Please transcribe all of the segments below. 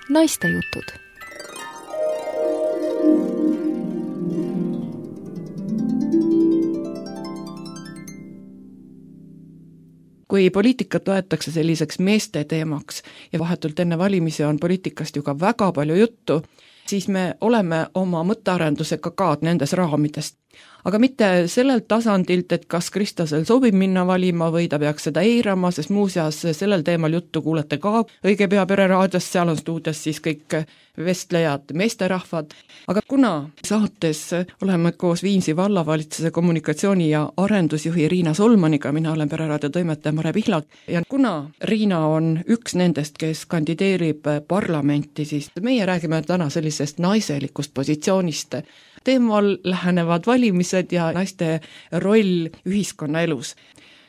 Naistejutud. Kui poliitikat loetakse selliseks meeste teemaks ja vahetult enne valimisi on poliitikast ju ka väga palju juttu, siis me oleme oma mõttearendusega ka nendes raamidest. Aga mitte sellelt tasandilt, et kas Kristasel sobib minna valima või ta peaks seda eirama, sest muuseas sellel teemal juttu kuulete ka õige pea Pereraadios, seal on stuudios siis kõik vestlejad, meesterahvad. Aga kuna saates oleme koos Viimsi vallavalitsuse kommunikatsiooni- ja arendusjuhi Riina Solmaniga, mina olen Pereraadio toimetaja Mare Pihlak, ja kuna Riina on üks nendest, kes kandideerib parlamenti, siis meie räägime täna sellisest naiselikust positsioonist. Teemal lähenevad valimised ja naiste roll ühiskonnaelus.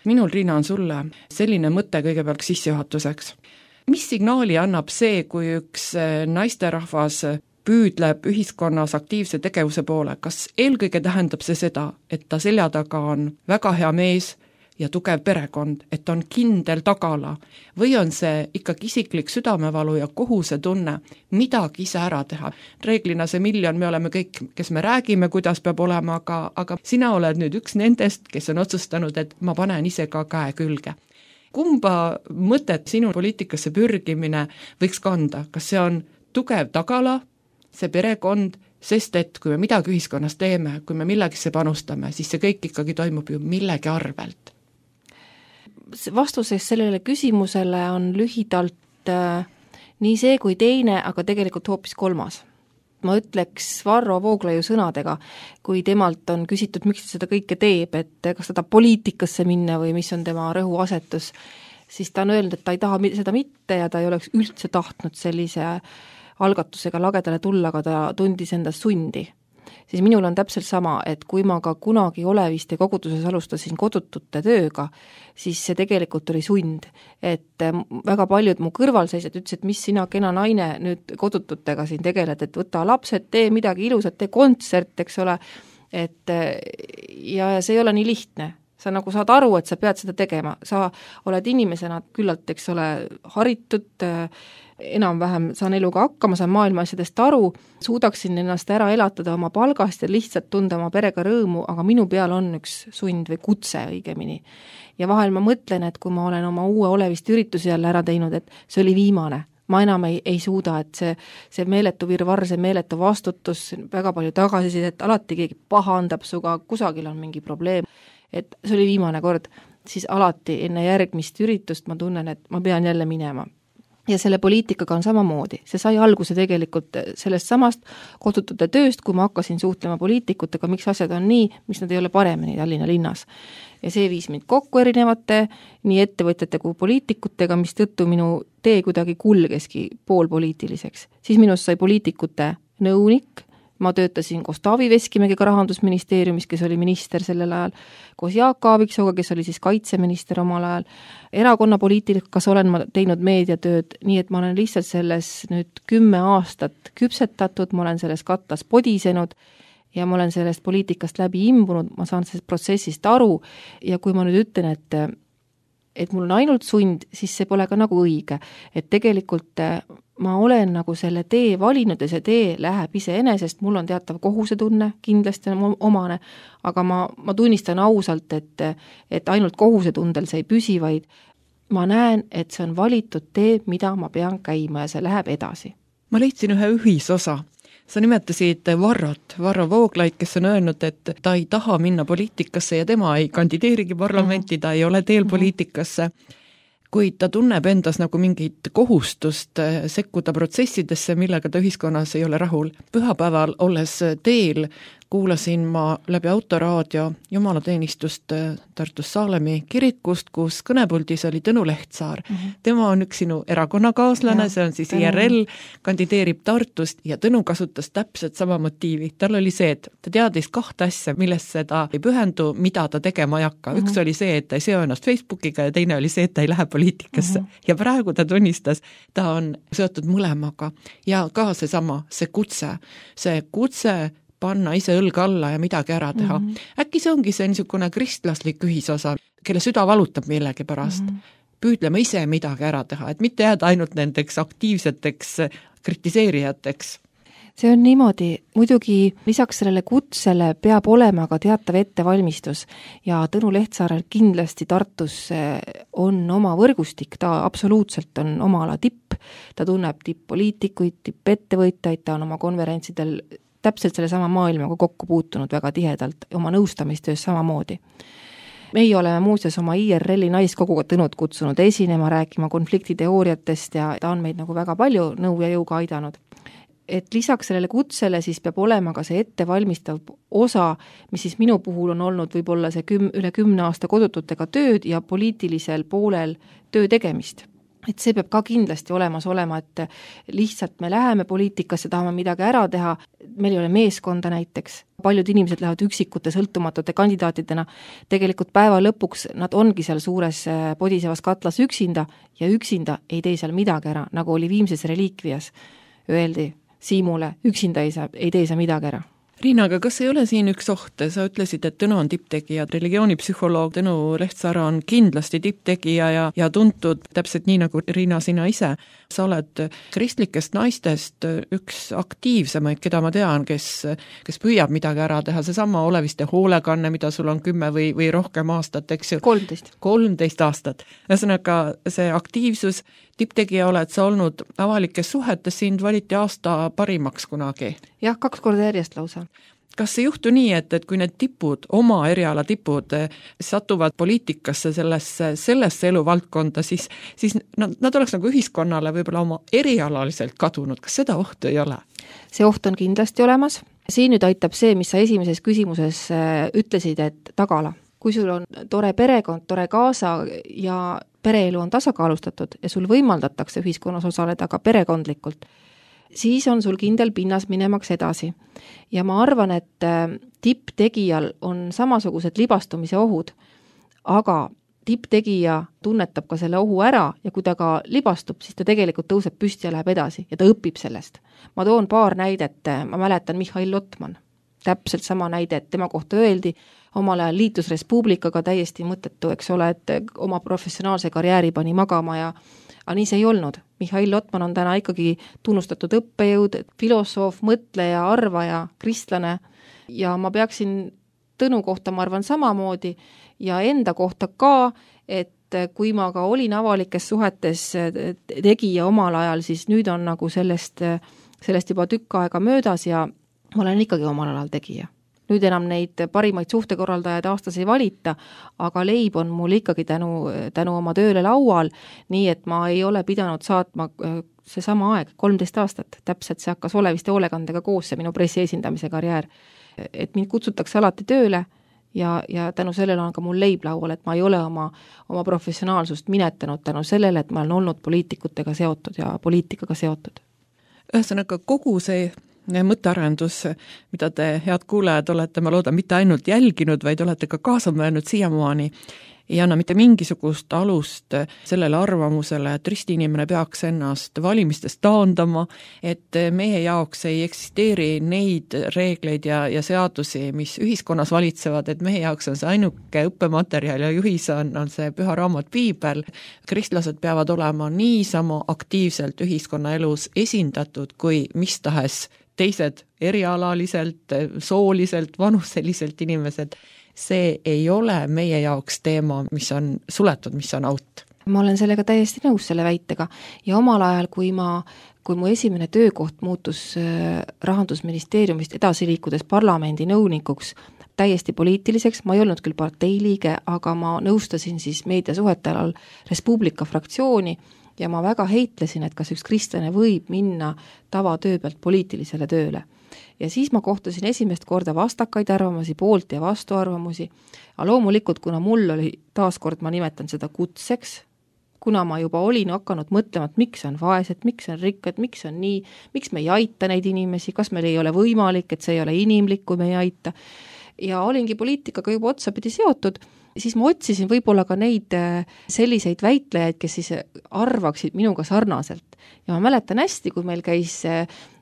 Minul, Riina, on sulle selline mõte kõigepealt sissejuhatuseks. Mis signaali annab see, kui üks naisterahvas püüdleb ühiskonnas aktiivse tegevuse poole? Kas eelkõige tähendab see seda, et ta selja taga on väga hea mees ja tugev perekond, et on kindel tagala, või on see ikkagi isiklik südamevalu ja kohusetunne midagi ise ära teha? Reeglina see miljon, me oleme kõik, kes me räägime, kuidas peab olema, aga sina oled nüüd üks nendest, kes on otsustanud, et ma panen ise ka käe külge. Kumba mõtet sinu poliitikasse pürgimine võiks kanda? Kas see on tugev tagala, see perekond, sest et kui me midagi ühiskonnas teeme, kui me millegisse panustame, siis see kõik ikkagi toimub ju millegi arvelt. Vastuses sellele küsimusele on lühidalt nii see kui teine, aga tegelikult hoopis kolmas. Ma ütleks Varro Vooglaiu sõnadega, kui temalt on küsitud, miks ta seda kõike teeb, et kas ta poliitikasse minna või mis on tema rõhuasetus, siis ta on öelnud, et ta ei taha seda mitte ja ta ei oleks üldse tahtnud sellise algatusega lagedale tulla, aga ta tundis endas sundi. Siis minul on täpselt sama, et kui ma ka kunagi Oleviste koguduses alustasin kodutute tööga, siis see tegelikult oli sund. Et väga paljud mu kõrvalseisjad ütlesid, et mis sina kena naine nüüd kodututega siin tegeled, et võta lapsed, tee midagi ilusat, tee kontsert, eks ole. Et, ja see ei ole nii lihtne. Sa nagu saad aru, et sa pead seda tegema. Sa oled inimesena küllalt, eks ole, haritud, enam-vähem saan eluga hakkama, saan maailma asjadest aru, suudaksin ennast ära elatada oma palgast ja lihtsalt tunda oma perega rõõmu, aga minu peal on üks sund või kutse õigemini. Ja vahel ma mõtlen, et kui ma olen oma uue Oleviste ürituse jälle ära teinud, et see oli viimane. Ma enam ei suuda, et see meeletu virvarr, see meeletu vastutus, väga palju tagasisidet, et alati keegi pahandab suga, kusagil on mingi probleem, et see oli viimane kord, siis alati enne järgmist üritust ma tunnen, et ma pean jälle minema. Ja selle poliitikaga on samamoodi. See sai alguse tegelikult sellest samast kodutute tööst, kui ma hakkasin suhtlema poliitikutega, miks asjad on nii, miks nad ei ole paremini Tallinna linnas. Ja see viis mind kokku erinevate nii ettevõtjate kui poliitikutega, mis tõttu minu tee kuidagi kulgeski poolpoliitiliseks. Siis minust sai poliitikute nõunik, ma töötasin koos Taavi Veskimägiga Rahandusministeeriumis, kes oli minister sellel ajal, koos Jaak Aaviksooga, kes oli siis kaitseminister omal ajal. Erakonnapoliitikas olen ma teinud meediatööd, nii et ma olen lihtsalt selles nüüd 10 aastat küpsetatud, ma olen selles kattas podisenud ja ma olen sellest poliitikast läbi imbunud, ma saan sellest protsessist aru ja kui ma nüüd ütlen, et mul on ainult sund, siis see pole ka nagu õige. Et tegelikult ma olen nagu selle tee valinud ja see tee läheb iseenesest, mul on teatav kohusetunne, kindlasti on omane, aga ma tunnistan ausalt, et ainult kohusetundel see ei püsi, vaid ma näen, et see on valitud tee, mida ma pean käima ja see läheb edasi. Ma leidsin ühe ühisosa. Sa nimetasid Varro Vooglaid, kes on öelnud, et ta ei taha minna poliitikasse ja tema ei kandideerigi parlamenti, ta ei ole teel poliitikasse, kuid ta tunneb endas nagu mingit kohustust sekkuda protsessidesse, millega ta ühiskonnas ei ole rahul. Pühapäeval olles teel kuulasin ma läbi autoraadio jumalateenistust Tartus Saalemi kirikust, kus kõnepuldis oli Tõnu Lehtsaar. Tema on üks sinu erakonnakaaslane, see on siis IRL, kandideerib Tartust ja Tõnu kasutas täpselt sama motiivi. Tal oli see, et ta teadis 2 asja, millest seda ei pühendu, mida ta tegema ei hakka. Üks oli see, et ta ei seo ennast Facebookiga ja teine oli see, et ta ei lähe poliitikasse. Ja praegu ta tunnistas, ta on seotud mõlemaga. Ja ka see kutse panna ise õlga alla ja midagi ära teha. Äkki see ongi see niisugune kristlaslik ühisosa, kelle süda valutab millegi pärast. Püüdlema ise midagi ära teha, et mitte jääda ainult nendeks aktiivseteks kritiseerijateks? See on niimoodi, muidugi lisaks sellele kutsele peab olema ka teatav ettevalmistus ja Tõnu Lehtsaarel kindlasti Tartus on oma võrgustik, ta absoluutselt on oma ala tipp, ta tunneb tipp-poliitikuid, tippettevõtjaid, ta on oma konverentsidel täpselt selle sama maailmaga kokku puutunud väga tihedalt, oma nõustamistöös samamoodi. Meie oleme muuseas oma IRL-i naiskoguga Tõnud kutsunud esinema, rääkima konfliktiteooriatest ja ta on meid nagu väga palju nõu ja jõuga aidanud. Et lisaks sellele kutsele siis peab olema ka see ettevalmistav osa, mis siis minu puhul on olnud võib-olla see üle 10 aasta kodututega tööd ja poliitilisel poolel töö tegemist. Et see peab ka kindlasti olemas olema, et lihtsalt me läheme poliitikasse, tahame midagi ära teha, meil ei ole meeskonda näiteks, paljud inimesed lähevad üksikute sõltumatute kandidaatidena, tegelikult päeva lõpuks nad ongi seal suures podisevas katlas üksinda ja üksinda ei tee seal midagi ära, nagu oli Viimses reliikvias, öeldi Siimule, üksinda ei tee sa midagi ära. Riina, aga kas ei ole siin üks oht? Sa ütlesid, et Tõnu on tipptegija, religioonipsühholoog Tõnu Lehtsaar on kindlasti tipptegija ja tuntud täpselt nii nagu Riina sina ise. Sa oled kristlikest naistest üks aktiivsemaid, keda ma tean, kes püüab midagi ära teha, seesama oleviste hoolekanne, mida sul on 10 või rohkem aastat, eks ju? 13 aastat. Ühesõnaga see aktiivsus, tipptegija oled sa olnud avalikes suhetes, sind valiti aasta parimaks kunagi? Jah, 2 korda järjest lausa. Kas ei juhtu nii, et kui need tipud, oma eriala tipud, satuvad poliitikasse sellesse eluvaldkonda, siis nad oleks nagu ühiskonnale võib-olla oma erialaliselt kadunud. Kas seda ohtu ei ole? See oht on kindlasti olemas. Siin nüüd aitab see, mis sa esimeses küsimuses ütlesid, et tagala. Kui sul on tore perekond, tore kaasa ja pereelu on tasakaalustatud ja sul võimaldatakse ühiskonnas osaleda ka perekondlikult, siis on sul kindel pinnas minemaks edasi. Ja ma arvan, et tipptegijal on samasugused libastumise ohud, aga tipptegija tunnetab ka selle ohu ära ja kui ta ka libastub, siis ta tegelikult tõuseb püsti ja läheb edasi ja ta õpib sellest. Ma toon paar näidet, ma mäletan Mihhail Lotman, täpselt sama näide, et tema kohta öeldi, omal ajal liitus Res Publicaga täiesti mõttetu, eks ole, et oma professionaalse karjääri pani magama ja aga nii see ei olnud. Mihhail Lotman on täna ikkagi tunnustatud õppejõud, filosoof, mõtleja, arvaja, kristlane ja ma peaksin Tõnu kohta, ma arvan, samamoodi ja enda kohta ka, et kui ma ka olin avalikes suhetes tegija omal ajal, siis nüüd on nagu sellest juba tükk aega möödas ja ma olen ikkagi omal alal tegija. Nüüd enam neid parimaid suhtekorraldajaid aastas ei valita, aga leib on mul ikkagi tänu oma tööle laual, nii et ma ei ole pidanud saatma see sama aeg, 13 aastat, täpselt see hakkas oleviste hoolekandega koos, see minu pressi esindamise karjäär. Et mind kutsutakse alati tööle ja tänu sellele on ka mul leib laual, et ma ei ole oma professionaalsust minetanud tänu sellele, et ma olen olnud poliitikutega seotud ja poliitikaga seotud. Ühesõnaga kogu see mõttearendus, mida te, head kuulajad, olete, ma loodan, mitte ainult jälginud, vaid olete ka kaasa mõelnud siiamaani, ei anna mitte mingisugust alust sellele arvamusele, et ristiinimene peaks ennast valimistest taandama, et meie jaoks ei eksisteeri neid reegleid ja seadusi, mis ühiskonnas valitsevad, et meie jaoks on see ainuke õppematerjal ja juhis on see püha raamat Piibel. Kristlased peavad olema niisama aktiivselt ühiskonnaelus esindatud kui mis tahes teised erialaliselt, sooliselt, vanuseliselt inimesed. See ei ole meie jaoks teema, mis on suletud, mis on out. Ma olen sellega täiesti nõus selle väitega ja omal ajal, kui mu esimene töökoht muutus Rahandusministeeriumist edasi liikudes parlamendi nõunikuks täiesti poliitiliseks, ma ei olnud küll parteiliige, aga ma nõustasin siis meediasuhete alal Res Publica fraktsiooni ja ma väga heitlesin, et kas üks kristlane võib minna tavatöö pealt poliitilisele tööle. Ja siis ma kohtasin esimest korda vastakaid arvamusi, poolt ja vastuarvamusi, aga loomulikult, kuna mul oli taaskord, ma nimetan seda kutseks, kuna ma juba olin hakanud mõtlema, et miks on vaesed, miks on rikkad, miks on nii, miks me ei aita neid inimesi, kas meil ei ole võimalik, et see ei ole inimlik, kui me ei aita. Ja olingi poliitikaga juba otsapidi seotud, siis ma otsisin võib-olla ka neid selliseid väitlejaid, kes siis arvaksid minuga sarnaselt. Ja ma mäletan hästi, kui meil käis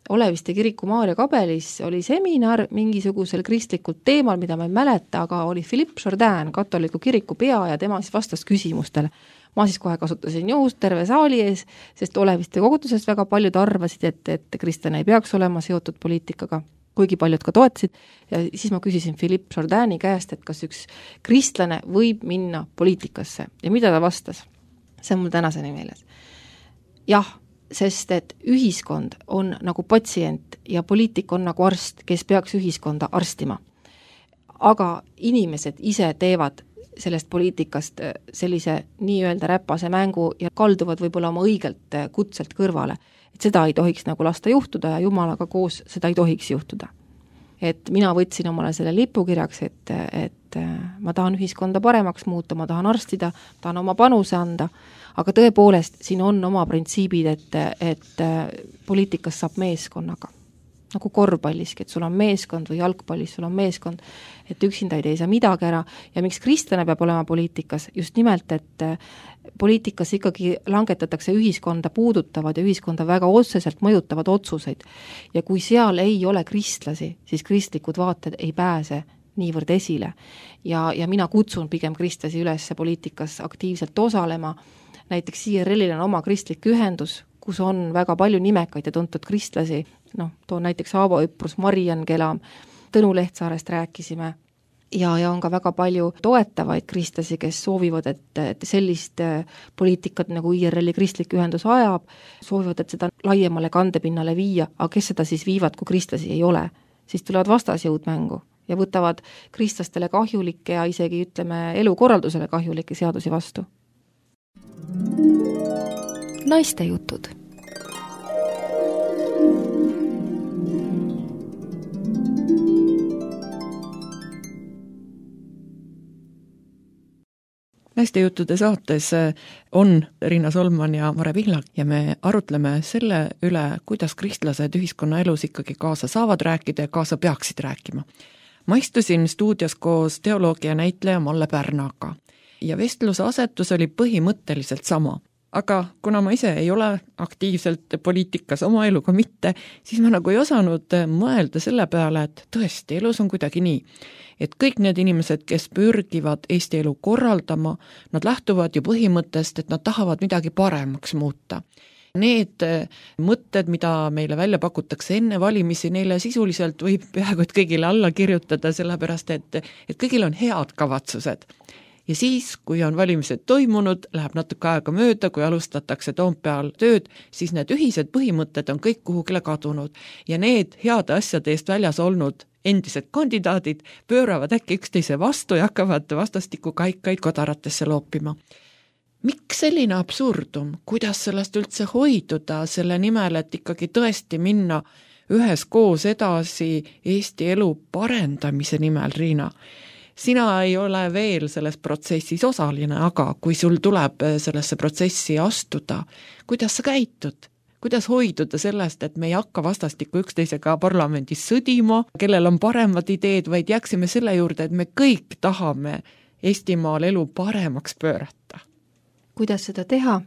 Oleviste kiriku Maarja kabelis oli seminar mingisugusel kristlikul teemal, mida ma ei mäleta, aga oli Philippe Jourdain, katoliku kiriku pea, ja tema siis vastas küsimustele. Ma siis kohe kasutasin juhust terve saali ees, sest Oleviste kogutusest väga paljud arvasid, et kristlane ei peaks olema seotud poliitikaga, kuigi paljud ka toetasid, ja siis ma küsisin Philippe Jourdaini käest, et kas üks kristlane võib minna poliitikasse ja mida ta vastas. See on mul tänaseni meeles. Jah, sest et ühiskond on nagu patsient ja poliitik on nagu arst, kes peaks ühiskonda arstima. Aga inimesed ise teevad sellest poliitikast sellise nii-öelda räpase mängu ja kalduvad võib-olla oma õigelt kutselt kõrvale. Et seda ei tohiks nagu lasta juhtuda ja Jumalaga koos seda ei tohiks juhtuda. Et mina võtsin omale selle lipukirjaks, et ma tahan ühiskonda paremaks muuta, ma tahan arstida, tahan oma panuse anda, aga tõepoolest siin on oma printsiibid, et poliitikas saab meeskonnaga. Nagu korvpalliski, et sul on meeskond või jalgpallis sul on meeskond, et üksinda ei tee sa midagi ära ja miks kristlane peab olema poliitikas, just nimelt, et poliitikas ikkagi langetatakse ühiskonda puudutavad ja ühiskonda väga otseselt mõjutavad otsuseid ja kui seal ei ole kristlasi, siis kristlikud vaated ei pääse niivõrd esile ja mina kutsun pigem kristlasi üles poliitikas aktiivselt osalema, näiteks IRL-il on oma kristlik ühendus, kus on väga palju nimekaid ja tuntud kristlasi, toon näiteks Aavo Üprus, Mariann Kelam, Tõnu Lehtsaarest rääkisime ja on ka väga palju toetavaid kristlasi, kes soovivad, et sellist poliitikat nagu IRL-i kristlik ühendus ajab, soovivad, et seda laiemale kandepinnale viia, aga kes seda siis viivad, kui kristlasi ei ole, siis tulevad vastasjõud mängu ja võtavad kristlastele kahjulikke ja isegi ütleme elukorraldusele kahjulikke seadusi vastu. Naiste jutud. Naiste juttude saates on Riina Solman ja Mare Pihlak ja me arutleme selle üle, kuidas kristlased ühiskonnaelus ikkagi kaasa saavad rääkida ja kaasa peaksid rääkima. Ma istusin stuudios koos teoloogia näitleja Malle Pärnaga ja vestluse asetus oli põhimõtteliselt sama. Aga kuna ma ise ei ole aktiivselt poliitikas oma eluga mitte, siis ma nagu ei osanud mõelda selle peale, et tõesti, elus on kuidagi nii, et kõik need inimesed, kes pürgivad Eesti elu korraldama, nad lähtuvad ju põhimõttest, et nad tahavad midagi paremaks muuta. Need mõtted, mida meile välja pakutakse enne valimisi, neile sisuliselt võib peaaegu et kõigile alla kirjutada, sellepärast et kõigil on head kavatsused. Ja siis, kui on valimised toimunud, läheb natuke aega mööda, kui alustatakse Toompeal tööd, siis need ühised põhimõtted on kõik kuhugile kadunud ja need heade asjade eest väljas olnud endised kandidaadid pööravad äkki üksteise vastu ja hakkavad vastastikku kaikaid kodaratesse loopima. Miks selline absurdum? Kuidas sellest üldse hoiduda selle nimel, et ikkagi tõesti minna üheskoos edasi Eesti elu parendamise nimel, Riina? Sina ei ole veel selles protsessis osaline, aga kui sul tuleb sellesse protsessi astuda, kuidas sa käitud? Kuidas hoiduda sellest, et me ei hakka vastastikku üksteisega parlamendis sõdima, kellel on paremad ideed, vaid jääksime selle juurde, et me kõik tahame Eestimaal elu paremaks pöörata? Kuidas seda teha?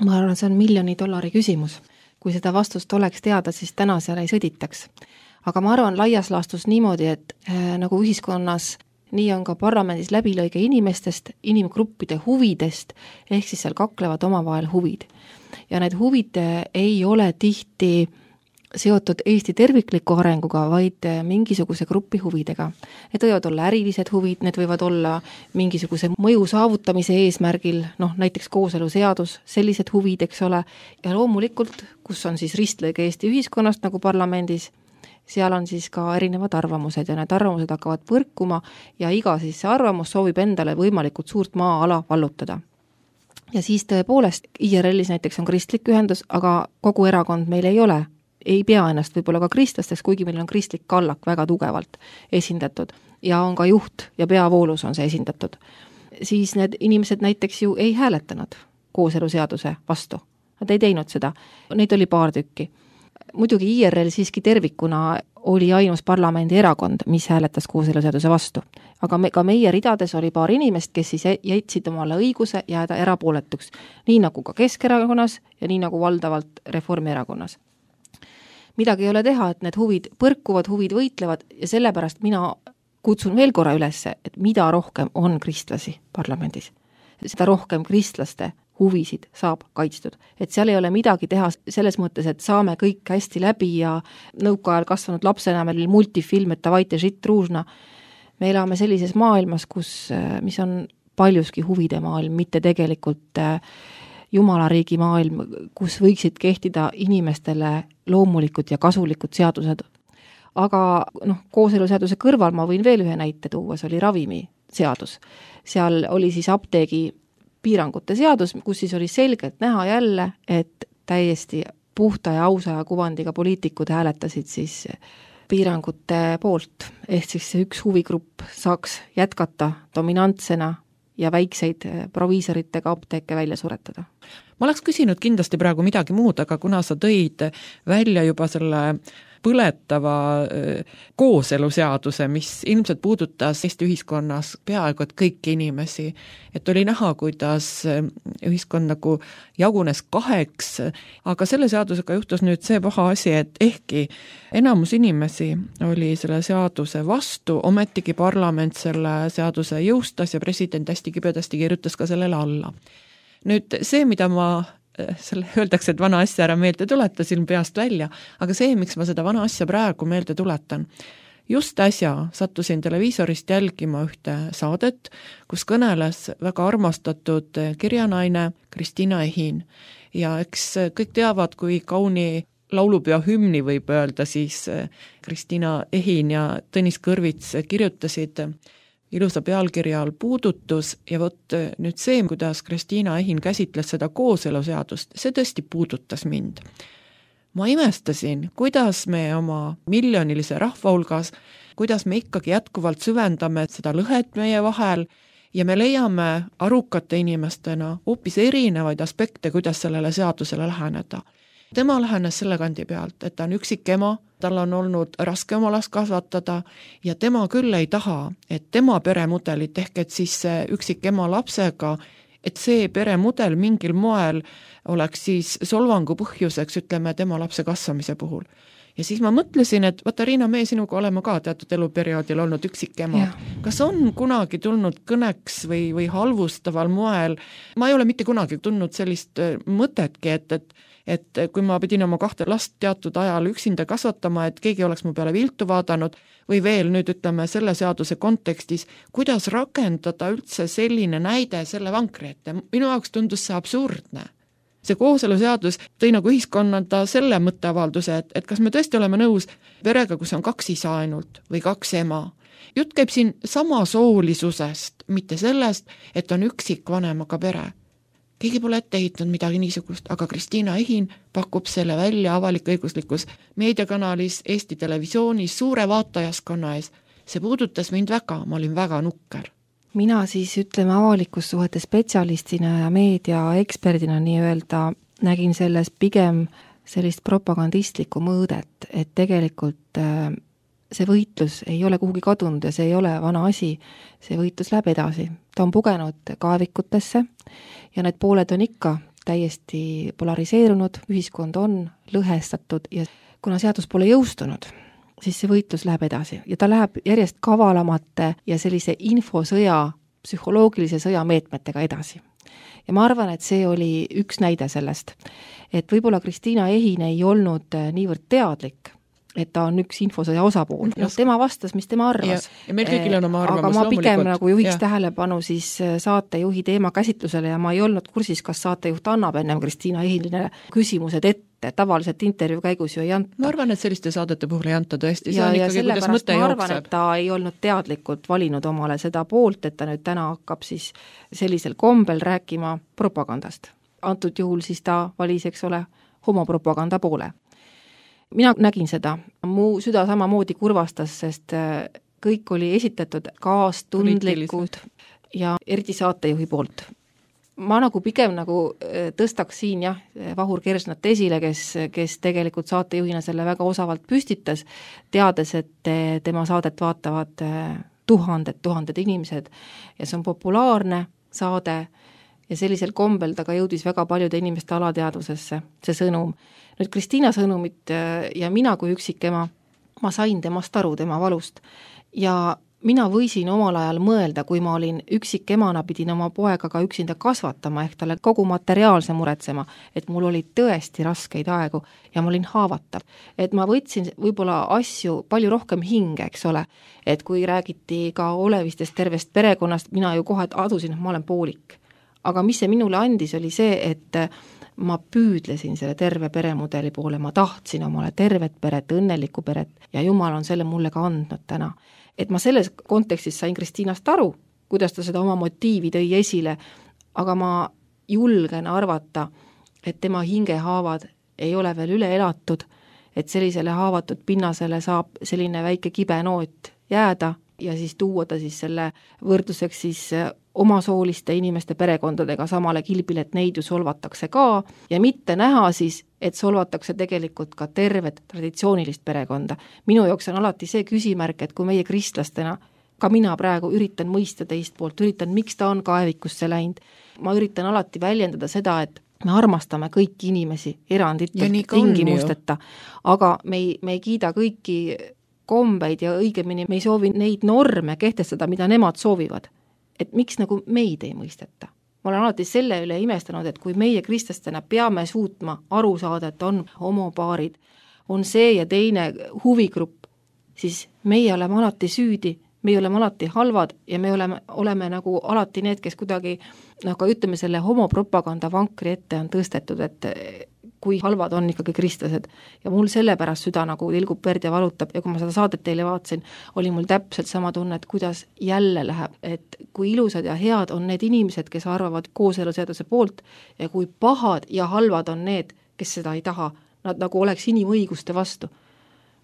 Ma arvan, see on $1,000,000 küsimus. Kui seda vastust oleks teada, siis täna seal ei sõditaks. Aga ma arvan laias laastus niimoodi, et nagu ühiskonnas nii on ka parlamendis läbilõige inimestest, inimgruppide huvidest, ehk siis seal kaklevad omavahel huvid. Ja need huvid ei ole tihti seotud Eesti tervikliku arenguga, vaid mingisuguse grupi huvidega. Need võivad olla ärilised huvid, need võivad olla mingisuguse mõju saavutamise eesmärgil, näiteks kooseluseadus, sellised huvid, eks ole, ja loomulikult, kus on siis ristlõige Eesti ühiskonnast nagu parlamendis, seal on siis ka erinevad arvamused ja need arvamused hakkavad põrkuma ja iga siis see arvamus soovib endale võimalikult suurt maa-ala vallutada. Ja siis tõepoolest, IRL-is näiteks on kristlik ühendus, aga kogu erakond meil ei ole, ei pea ennast võib-olla ka kristlasteks, kuigi meil on kristlik kallak väga tugevalt esindatud ja on ka juht ja peavoolus on see esindatud. Siis need inimesed näiteks ju ei hääletanud kooseluseaduse vastu. Nad ei teinud seda, neid oli paar tükki. Muidugi IRL siiski tervikuna oli ainus parlamendi erakond, mis hääletas kooseluseaduse vastu. Aga ka meie ridades oli paar inimest, kes siis jätsid omale õiguse jääda erapooletuks, nii nagu ka Keskerakonnas ja nii nagu valdavalt Reformierakonnas. midagi ei ole teha, et need huvid põrkuvad, huvid võitlevad ja sellepärast mina kutsun veel korra üles, et mida rohkem on kristlasi parlamendis, seda rohkem kristlaste huvisid saab kaitstud. Et seal ei ole midagi teha selles mõttes, et saame kõik hästi läbi ja nõukaajal kasvanud lapsena meil multifilm, et davайте žit ružna. Me elame sellises maailmas, mis on paljuski huvide maailm, mitte tegelikult jumalariigi maailm, kus võiksid kehtida inimestele loomulikud ja kasulikud seadused. Aga kooseluseaduse kõrval ma võin veel ühe näite tuua, see oli ravimiseadus. Seal oli siis apteegi piirangute seadus, kus siis oli selgelt näha jälle, et täiesti puhta ja ausa ja kuvandiga poliitikud hääletasid siis piirangute poolt. Ehk siis see üks huvigrupp saaks jätkata dominantsena ja väikseid proviisoritega apteeke välja suretada. Ma oleks küsinud kindlasti praegu midagi muud, aga kuna sa tõid välja juba selle põletava kooseluseaduse, mis ilmselt puudutas Eesti ühiskonnas peaaegu et kõiki inimesi, et oli näha, kuidas ühiskond nagu jagunes kaheks, aga selle seadusega juhtus nüüd see paha asi, et ehkki enamus inimesi oli selle seaduse vastu, ometigi parlament selle seaduse jõustas ja president hästi kibedasti kirjutas ka sellele alla. Nüüd see, mida ma öeldakse, et vana asja ära meelde tuletasin peast välja, aga see, miks ma seda vana asja praegu meelde tuletan. Just äsja sattusin televiisorist jälgima ühte saadet, kus kõneles väga armastatud kirjanaine Kristiina Ehin. Ja eks kõik teavad, kui kauni laulupeo hümni võib öelda, siis Kristiina Ehin ja Tõnis Kõrvits kirjutasid ilusa pealkirja all puudutus ja vot nüüd see, kuidas Kristiina Ehin käsitles seda kooseluseadust, see tõesti puudutas mind. Ma imestasin, kuidas me oma miljonilise rahva hulgas, kuidas me ikkagi jätkuvalt süvendame seda lõhet meie vahel ja me leiame arukate inimestena hoopis erinevaid aspekte, kuidas sellele seadusele läheneda. Tema lähenes selle kandi pealt, et ta on üksik ema, tal on olnud raske oma last kasvatada ja tema küll ei taha, et tema peremudelit ehk et siis üksik ema lapsega, et see peremudel mingil moel oleks siis solvangu põhjuseks, ütleme, tema lapse kasvamise puhul. Ja siis ma mõtlesin, et vaata Riina, me sinuga oleme ka teatud eluperioodil olnud üksik ema. Kas on kunagi tulnud kõneks või halvustaval moel? Ma ei ole mitte kunagi tulnud sellist mõtetki, et kui ma pidin oma 2 last teatud ajal üksinda kasvatama, et keegi oleks mu peale viltu vaadanud või veel nüüd ütleme selle seaduse kontekstis, kuidas rakendada üldse selline näide selle vankri ette. Minu jaoks tundus see absurdne. See kooseluseadus tõi nagu ühiskonnada selle mõtteavalduse, et kas me tõesti oleme nõus perega, kus on 2 isa ainult või 2 ema. Jutt käib siin samasoolisusest, mitte sellest, et on üksik vanemaga pere. Keegi pole ette ehitanud midagi niisugust, aga Kristiina Ehin pakub selle välja avalik-õiguslikus meediakanalis Eesti Televisioonis suure vaatajaskonna ees. See puudutas mind väga, ma olin väga nukker. Mina siis ütleme avalikus suhete spetsialistina ja meediaeksperdina nii-öelda nägin selles pigem sellist propagandistlikku mõõdet, et tegelikult see võitlus ei ole kuhugi kadunud ja see ei ole vana asi, see võitlus läheb edasi. Ta on pugenud kaevikutesse ja need pooled on ikka täiesti polariseerunud, ühiskond on lõhestatud ja kuna seadus pole jõustunud, siis see võitlus läheb edasi ja ta läheb järjest kavalamate ja sellise infosõja, psühholoogilise sõja meetmetega edasi. Ja ma arvan, et see oli üks näide sellest, et võib-olla Kristiina Ehin ei olnud niivõrd teadlik, et ta on üks infosõja osapool. Tema vastas, mis tema arvas. Ja meil kõigil on oma arvamus. Aga ma pigem nagu juhiks tähelepanu siis saatejuhi teema käsitlusele ja ma ei olnud kursis, kas saatejuht annab ennem Kristiina Ehinile küsimused ette. Tavaliselt intervjuu käigus ju ei anta. Ma arvan, et selliste saadete puhul ei anta tõesti. See on ikkagi, kuidas mõte jookseb. Ma arvan, et ta ei olnud teadlikult valinud omale seda poolt, et ta nüüd täna hakkab siis sellisel kombel rääkima propagandast. Antud juhul siis ta valis, eks ole, homopropaganda poole. Mina nägin seda, mu süda samamoodi kurvastas, sest kõik oli esitatud kaastundlikud ja eriti saatejuhi poolt. Ma nagu pigem nagu tõstaks siin Vahur Kersnat esile, kes tegelikult saatejuhina selle väga osavalt püstitas, teades, et tema saadet vaatavad tuhanded inimesed ja see on populaarne saade ja sellisel kombel ta ka jõudis väga paljude inimeste alateadvusesse, see sõnum. Nüüd Kristiina sõnumit ja mina kui üksikema, ma sain temast aru, tema valust ja mina võisin omal ajal mõelda, kui ma olin üksikemana, pidin oma poega ka üksinda kasvatama, ehk talle kogu materiaalse muretsema, et mul oli tõesti raskeid aegu ja ma olin haavatav. Et ma võtsin võib-olla asju palju rohkem hinge, eks ole, et kui räägiti ka olevistest tervest perekonnast, mina ju kohe adusin, et ma olen poolik. Aga mis see minule andis, oli see, et ma püüdlesin selle terve peremudeli poole, ma tahtsin omale tervet peret, õnnelikku peret ja Jumal on selle mulle ka andnud täna. Et ma selles kontekstis sain Kristiinast aru, kuidas ta seda oma motiivi tõi esile, aga ma julgen arvata, et tema hingehaavad ei ole veel üle elatud, et sellisele haavatud pinnasele saab selline väike kibe noot jääda ja siis tuua ta siis selle võrdluseks siis omasooliste inimeste perekondadega samale kilbile, et neid ju solvatakse ka ja mitte näha siis, et solvatakse tegelikult ka tervet traditsioonilist perekonda. Minu jaoks on alati see küsimärk, et kui meie kristlastena, ka mina praegu üritan mõista teist poolt, üritan, miks ta on kaevikusse läinud, ma üritan alati väljendada seda, et me armastame kõiki inimesi eranditult, tingimusteta, aga me ei kiida kõiki kombeid ja õigemini me ei soovi neid norme kehtestada, mida nemad soovivad. Et miks nagu meid ei mõisteta. Ma olen alati selle üle imestanud, et kui meie kristlastena peame suutma aru saada, et on homopaarid, on see ja teine huvigrupp, siis meie oleme alati süüdi, me oleme alati halvad ja me oleme nagu alati need, kes kuidagi nagu ütleme selle homopropaganda vankri ette on tõstetud, et kui halvad on ikkagi kristlased. Ja mul sellepärast süda nagu tilgub verd ja valutab ja kui ma seda saadet teile vaatasin, oli mul täpselt sama tunne, et kuidas jälle läheb, et kui ilusad ja head on need inimesed, kes arvavad kooseluseaduse poolt ja kui pahad ja halvad on need, kes seda ei taha, nad nagu oleks inimõiguste vastu.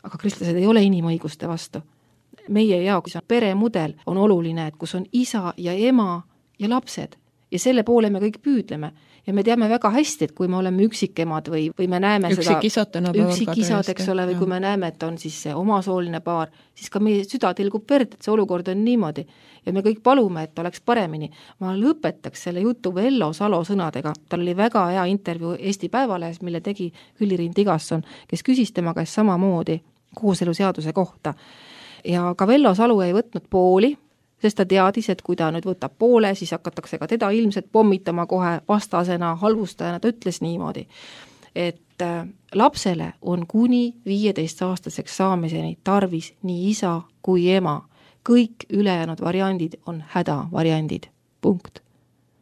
Aga kristlased ei ole inimõiguste vastu. Meie jaoks peremudel on oluline, et kus on isa ja ema ja lapsed ja selle poole me kõik püüdleme. Ja me teame väga hästi, et kui me oleme üksikemad või me näeme üksikisad, eks ole, või kui me näeme, et on siis see omasooline paar, siis ka meie süda tilgub verd, et see olukord on niimoodi. Ja me kõik palume, et oleks paremini. Ma lõpetaks selle jutu Vello Salo sõnadega. Tal oli väga hea intervjuu Eesti Päevalehes, mille tegi Hülli-Riin Tigasson, kes küsis tema käest samamoodi kooseluseaduse kohta. Ja ka Vello Salu ei võtnud pooli, sest ta teadis, et kui ta nüüd võtab poole, siis hakatakse ka teda ilmselt pommitama kohe vastasena, halvustajana, ta ütles niimoodi, et lapsele on kuni 15-aastaseks saamiseni tarvis nii isa kui ema. Kõik ülejäänud variandid on hädavariandid. Punkt.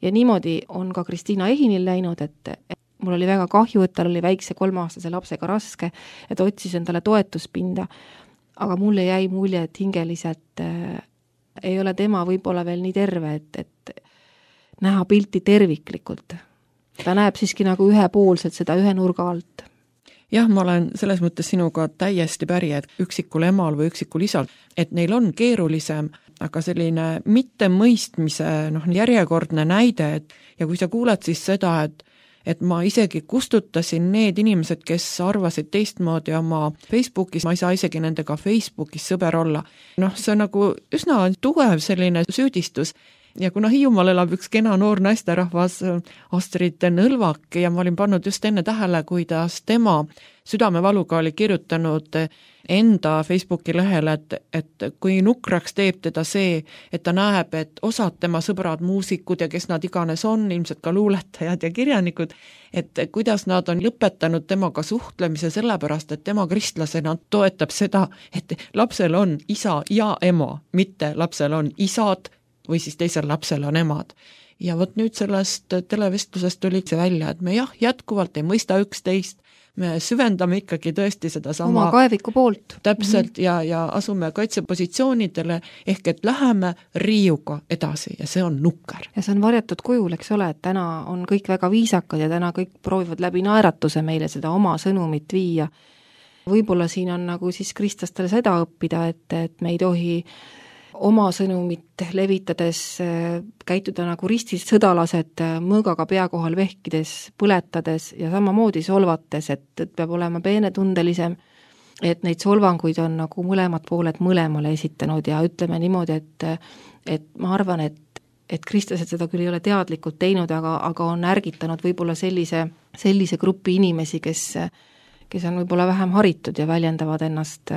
Ja niimoodi on ka Kristiina Ehinil läinud, et mul oli väga kahju, et tal oli väikse 3-aastase lapsega raske, et otsis endale toetuspinda, aga mulle jäi mulje, et hingeliselt ei ole tema võib-olla veel nii terve, et näha pilti terviklikult. Ta näeb siiski nagu ühepoolselt seda ühe nurga alt. Jah, ma olen selles mõttes sinuga täiesti päri, et üksikul emal või üksikul isal, et neil on keerulisem, aga selline mittemõistmise järjekordne näide, ja kui sa kuuled siis seda, et ma isegi kustutasin need inimesed, kes arvasid teistmoodi oma Facebookis, ma ei saa isegi nendega Facebookis sõber olla. See on nagu üsna tugev selline süüdistus ja kuna Hiiumaal elab üks kena noor naisterahvas Astrid Nõlvak ja ma olin pannud just enne tähele, kuidas tema südamevaluga oli kirjutanud enda Facebooki lehele, et kui nukraks teeb teda see, et ta näeb, et osad tema sõbrad, muusikud ja kes nad iganes on, ilmselt ka luuletajad ja kirjanikud, et kuidas nad on lõpetanud temaga suhtlemise sellepärast, et tema kristlasena toetab seda, et lapsel on isa ja ema, mitte lapsel on isad või siis teisel lapsel on emad. Ja vot nüüd sellest televestlusest tuli see välja, et me jätkuvalt ei mõista üksteist, me süvendame ikkagi tõesti seda sama oma kaeviku poolt. Täpselt ja asume kaitsepositsioonidele, ehk et läheme riiuga edasi ja see on nukker. Ja see on varjatud kujul, eks ole, et täna on kõik väga viisakad ja täna kõik proovivad läbi naeratuse meile seda oma sõnumit viia. Võib-olla siin on nagu siis kristlastele seda õppida, et me ei tohi oma sõnumit levitades käituda nagu ristis sõdalased mõõgaga pea kohal vehkides, põletades ja samamoodi solvates, et peab olema peenetundelisem, et neid solvanguid on nagu mõlemad pooled mõlemale esitanud ja ütleme niimoodi, et ma arvan, et et kristlased seda küll ei ole teadlikult teinud, aga on ärgitanud võib-olla sellise grupi inimesi, kes on võib-olla vähem haritud ja väljendavad ennast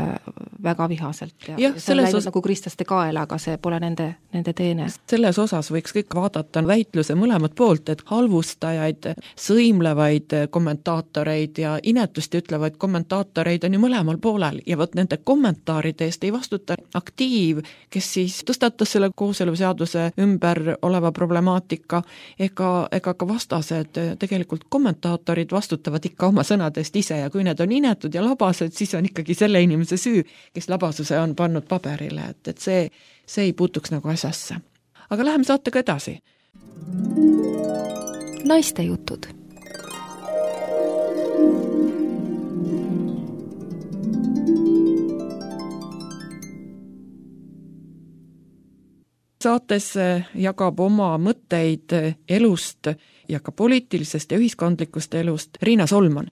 väga vihaselt ja see on läinud nagu kristlaste kaela, aga see pole nende teene. Selles osas võiks kõik vaadata väitluse mõlemat poolt, et halvustajaid, sõimlevaid kommentaatoreid ja inetusti ütlevaid kommentaatoreid on ju mõlemal poolel ja võt nende kommentaaride eest ei vastuta aktiiv, kes siis tõstatas selle kooseluseaduse ümber oleva problemaatika ega ka vastased, tegelikult kommentaatorid vastutavad ikka oma sõnadest ise ja kui need on inetud ja labased, siis on ikkagi selle inimese süü, kes labasuse on pannud paberile, et see ei puutuks nagu asjasse. Aga läheme saatega edasi. Naiste jutud. Saates jagab oma mõtteid elust ja ka poliitilisest ja ühiskondlikust elust Riina Solman.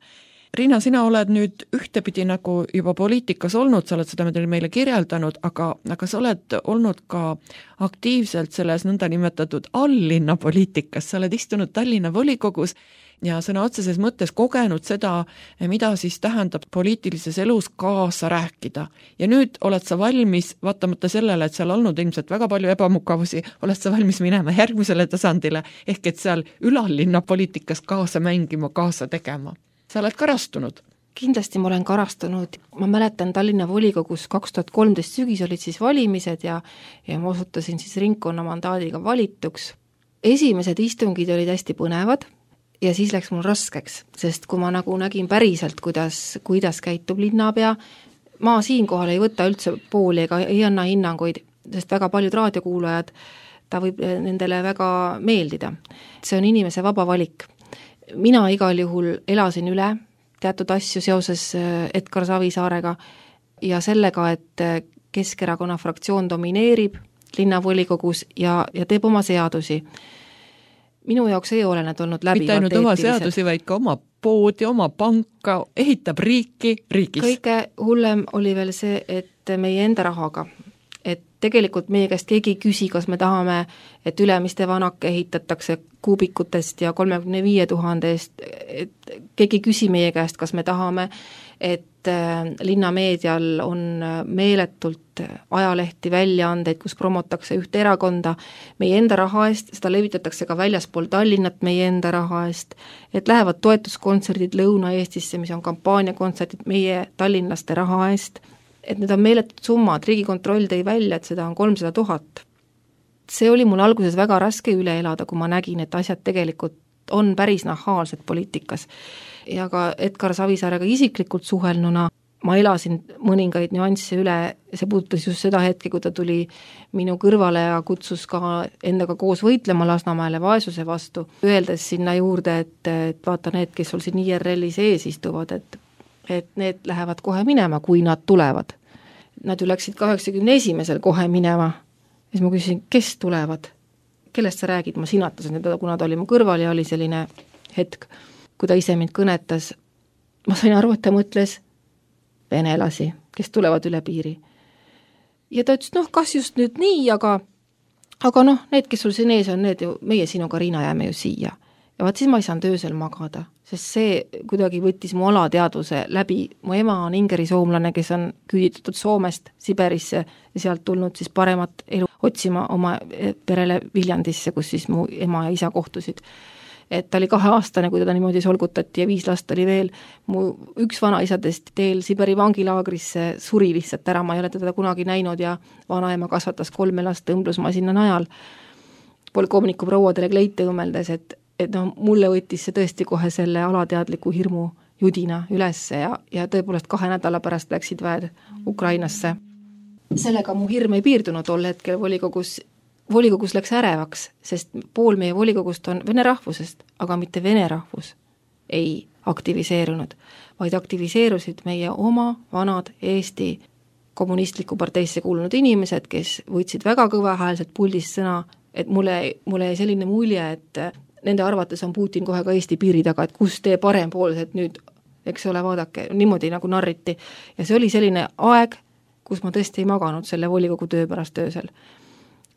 Riina, sina oled nüüd ühtepidi nagu juba poliitikas olnud, sa oled seda meile kirjeldanud, aga sa oled olnud ka aktiivselt selles nõndanimetatud alllinna poliitikas, sa oled istunud Tallinna volikogus ja sõna otseses mõttes kogenud seda, mida siis tähendab poliitilises elus kaasa rääkida. Ja nüüd oled sa valmis, vaatamata sellele, et seal olnud ilmselt väga palju ebamukavusi, oled sa valmis minema järgmisele tasandile, ehk et seal ülallinna poliitikas kaasa mängima, kaasa tegema. Sa oled karastunud? Kindlasti ma olen karastunud. Ma mäletan Tallinna volikogus 2013 sügis olid siis valimised ja ma osutusin siis ringkonna mandaadiga valituks. Esimesed istungid olid hästi põnevad ja siis läks mul raskeks, sest kui ma nagu nägin päriselt, kuidas käitub linnapea, ma siinkohal ei võta üldse pooli ega ei anna hinnanguid, sest väga paljud raadiokuulajad, ta võib nendele väga meeldida. See on inimese vaba valik. Mina igal juhul elasin üle teatud asju seoses Edgar Savisaarega ja sellega, et Keskerakonna fraktsioon domineerib linnavolikogus ja teeb oma seadusi. Minu jaoks ei ole need olnud läbi. Mitte ainult oma seadusi, vaid ka oma poodi, oma panka, ehitab riiki riigis. Kõige hullem oli veel see, et meie enda rahaga. Et tegelikult meie käest keegi küsi, kas me tahame, et Ülemiste vanake ehitatakse kuubikutest ja 35 000 eest, et keegi küsi meie käest, kas me tahame, et linnameedial on meeletult ajalehti väljaandeid, kus promotakse ühte erakonda meie enda raha eest, seda levitatakse ka väljaspool Tallinnat meie enda raha eest, et lähevad toetuskontserdid Lõuna-Eestisse, mis on kampaaniakontserdid meie tallinlaste raha eest, et need on meeletud summad, Riigikontroll tõi välja, et seda on 300 000. See oli mul alguses väga raske üle elada, kui ma nägin, et asjad tegelikult on päris nahaalsed poliitikas. Ja ka Edgar Savisaarega isiklikult suhelnuna ma elasin mõningaid nüansse üle, see puudutas just seda hetke, kui ta tuli minu kõrvale ja kutsus ka endaga koos võitlema Lasnamäele vaesuse vastu, öeldes sinna juurde, et vaata need, kes sul siin IRL-is ees istuvad, et need lähevad kohe minema, kui nad tulevad. Nad ju läksid 81. kohe minema. Ja siis ma küsisin, kes tulevad? Kellest sa räägid? Ma sinatasin teda, kuna ta oli mu kõrval ja oli selline hetk, kui ta ise mind kõnetas. Ma sain aru, et ta mõtles venelasi, kes tulevad üle piiri. Ja ta ütles, kas just nüüd nii, aga need, kes sul siin ees on, need ju, meie sinuga, Riina, jääme ju siia. Ja vaat siis ma ei saanud öösel magada, sest see kuidagi võttis mu alateadvuse läbi. Mu ema on ingerisoomlane, kes on küüditatud Soomest Siberisse ja sealt tulnud siis paremat elu otsima oma perele Viljandisse, kus siis mu ema ja isa kohtusid. Et ta oli 2-aastane, kui teda niimoodi solgutati ja 5 last oli veel. Mu üks vanaisadest teel Siberi vangilaagrisse suri lihtsalt ära, ma ei ole teda kunagi näinud ja vanaema kasvatas 3 last õmblusmasina najal. Polkovniku prouadele kleite õmmeldes, et mulle võttis see tõesti kohe selle alateadliku hirmu judina ülesse ja tõepoolest 2 nädala pärast läksid väed Ukrainasse. Sellega mu hirm ei piirdunud tol hetkel volikogus läks ärevaks, sest pool meie volikogust on vene rahvusest, aga mitte vene rahvus ei aktiviseerunud, vaid aktiviseerusid meie oma vanad Eesti kommunistliku parteisse kuulunud inimesed, kes võtsid väga kõvahäälselt puldist sõna, et mulle jäi selline mulje, et nende arvates on Putin kohe ka Eesti piiri taga, et kus tee parempoolsed nüüd, eks ole, vaadake, niimoodi nagu narriti. Ja see oli selline aeg, kus ma tõesti ei maganud selle volikogu töö pärast öösel.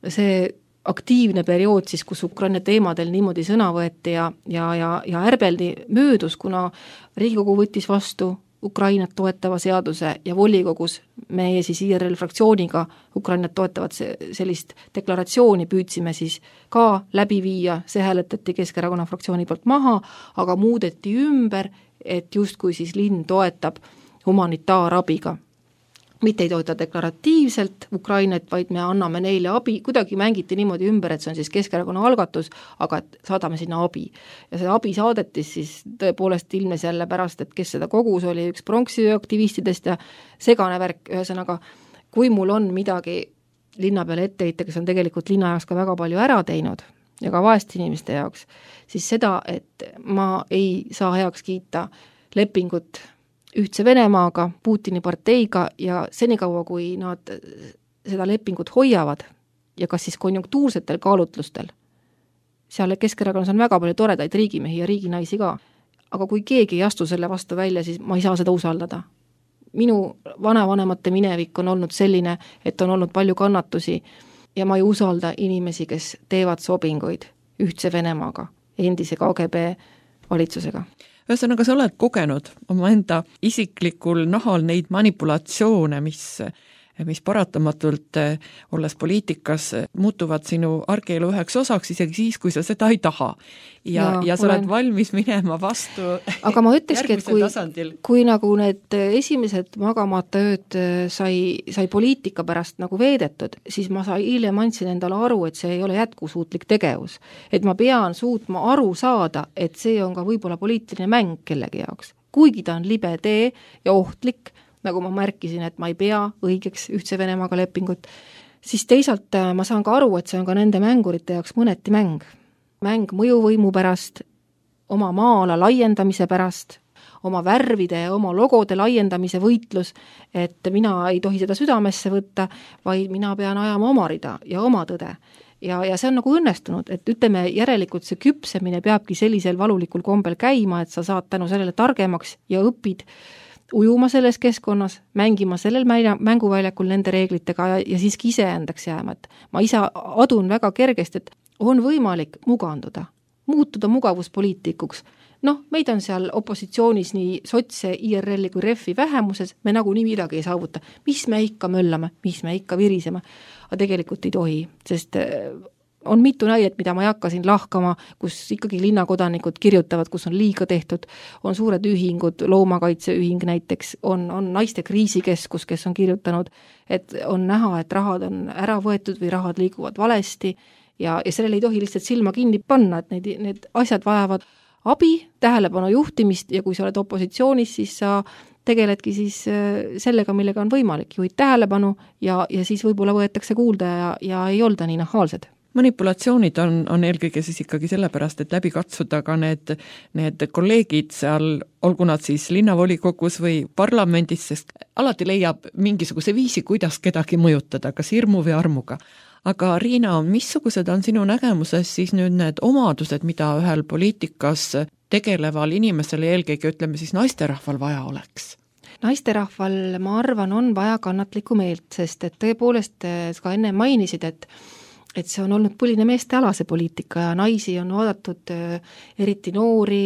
See aktiivne periood siis, kus Ukraina teemadel niimoodi sõna võeti ja ärbeldi möödus, kuna Riigikogu võttis vastu Ukrainat toetava seaduse ja volikogus meie siis IRL fraktsiooniga Ukrainat toetavat sellist deklaratsiooni püüdsime siis ka läbi viia, see hääletati Keskerakonna fraktsiooni poolt maha, aga muudeti ümber, et justkui siis linn toetab humanitaarabiga. Mitte ei toeta deklaratiivselt Ukrainat, vaid me anname neile abi, kuidagi mängiti niimoodi ümber, et see on siis Keskerakonna algatus, aga et saadame sinna abi. Ja see abi saadetis siis tõepoolest ilmnes jälle pärast, et kes seda kogus oli üks pronksiöö aktivistidest ja segane värk, ühesõnaga, kui mul on midagi linna peale etteheita, kes on tegelikult linna jaoks ka väga palju ära teinud ja ka vaeste inimeste jaoks, siis seda, et ma ei saa heaks kiita lepingut Ühtse Venemaaga, Putini parteiga ja senikaua, kui nad seda lepingut hoiavad ja kas siis konjunktuursetel kaalutlustel, seal Keskerakonnas on väga palju toredaid riigimehi ja riiginaisi ka, aga kui keegi ei astu selle vastu välja, siis ma ei saa seda usaldada. Minu vanavanemate minevik on olnud selline, et on olnud palju kannatusi ja ma ei usalda inimesi, kes teevad sobinguid Ühtse Venemaaga, endise KGB valitsusega. Ühesõnaga, sa oled kogenud omaenda isiklikul nahal neid manipulatsioone, mis paratamatult, olles poliitikas, muutuvad sinu argielu üheks osaks, isegi siis, kui sa seda ei taha. Ja sa oled valmis minema vastu aga ma ütleski, et kui nagu need esimesed magamata ööd sai poliitika pärast nagu veedetud, siis ma hiljem andsin endale aru, et see ei ole jätkusuutlik tegevus. Et ma pean suutma aru saada, et see on ka võib-olla poliitiline mäng kellegi jaoks. Kuigi ta on libe tee ja ohtlik, nagu ma märkisin, et ma ei pea õigeks Ühtse Venemaaga lepingut, siis teisalt ma saan ka aru, et see on ka nende mängurite jaoks mõneti mäng. Mäng mõjuvõimu pärast, oma maa-ala laiendamise pärast, oma värvide ja oma logode laiendamise võitlus, et mina ei tohi seda südamesse võtta, vaid mina pean ajama oma rida ja oma tõde. Ja see on nagu õnnestunud, et ütleme järelikult see küpsemine peabki sellisel valulikul kombel käima, et sa saad tänu sellele targemaks ja õpid ujuma selles keskkonnas, mängima sellel mänguväljakul nende reeglitega ja siiski iseendaks jääma, et ma ise adun väga kergesti, et on võimalik muganduda, muutuda mugavuspoliitikuks. Meid on seal opositsioonis nii sotse, IRL-i kui REF-i vähemuses, me nagunii midagi ei saavuta. Mis me ikka möllame, mis me ikka viriseme, aga tegelikult ei tohi, sest on mitu näidet, mida ma ei hakka siin lahkama, kus ikkagi linnakodanikud kirjutavad, kus on liiga tehtud, on suured ühingud, loomakaitseühing näiteks, on naiste kriisikeskus, kes on kirjutanud, et on näha, et rahad on ära võetud või rahad liiguvad valesti ja sellele ei tohi lihtsalt silma kinni panna, et need asjad vajavad abi, tähelepanu juhtimist ja kui sa oled opositsioonis, siis sa tegeledki siis sellega, millega on võimalik, juhid tähelepanu ja siis võib-olla võetakse kuulda ja ei olda nii nahaalsed. Manipulatsioonid on eelkõige siis ikkagi sellepärast, et läbi katsuda ka need kolleegid seal, olgu nad siis linnavolikogus või parlamendis, sest alati leiab mingisuguse viisi, kuidas kedagi mõjutada, kas hirmu või armuga. Aga Riina, missugused on sinu nägemuses siis nüüd need omadused, mida ühel poliitikas tegeleval inimesel ja eelkõige ütleme siis naisterahval vaja oleks? Naisterahval, ma arvan, on vaja kannatlikku meelt, sest et tõepoolest ka enne mainisid, et see on olnud põline meestealase poliitika ja naisi on vaadatud eriti noori,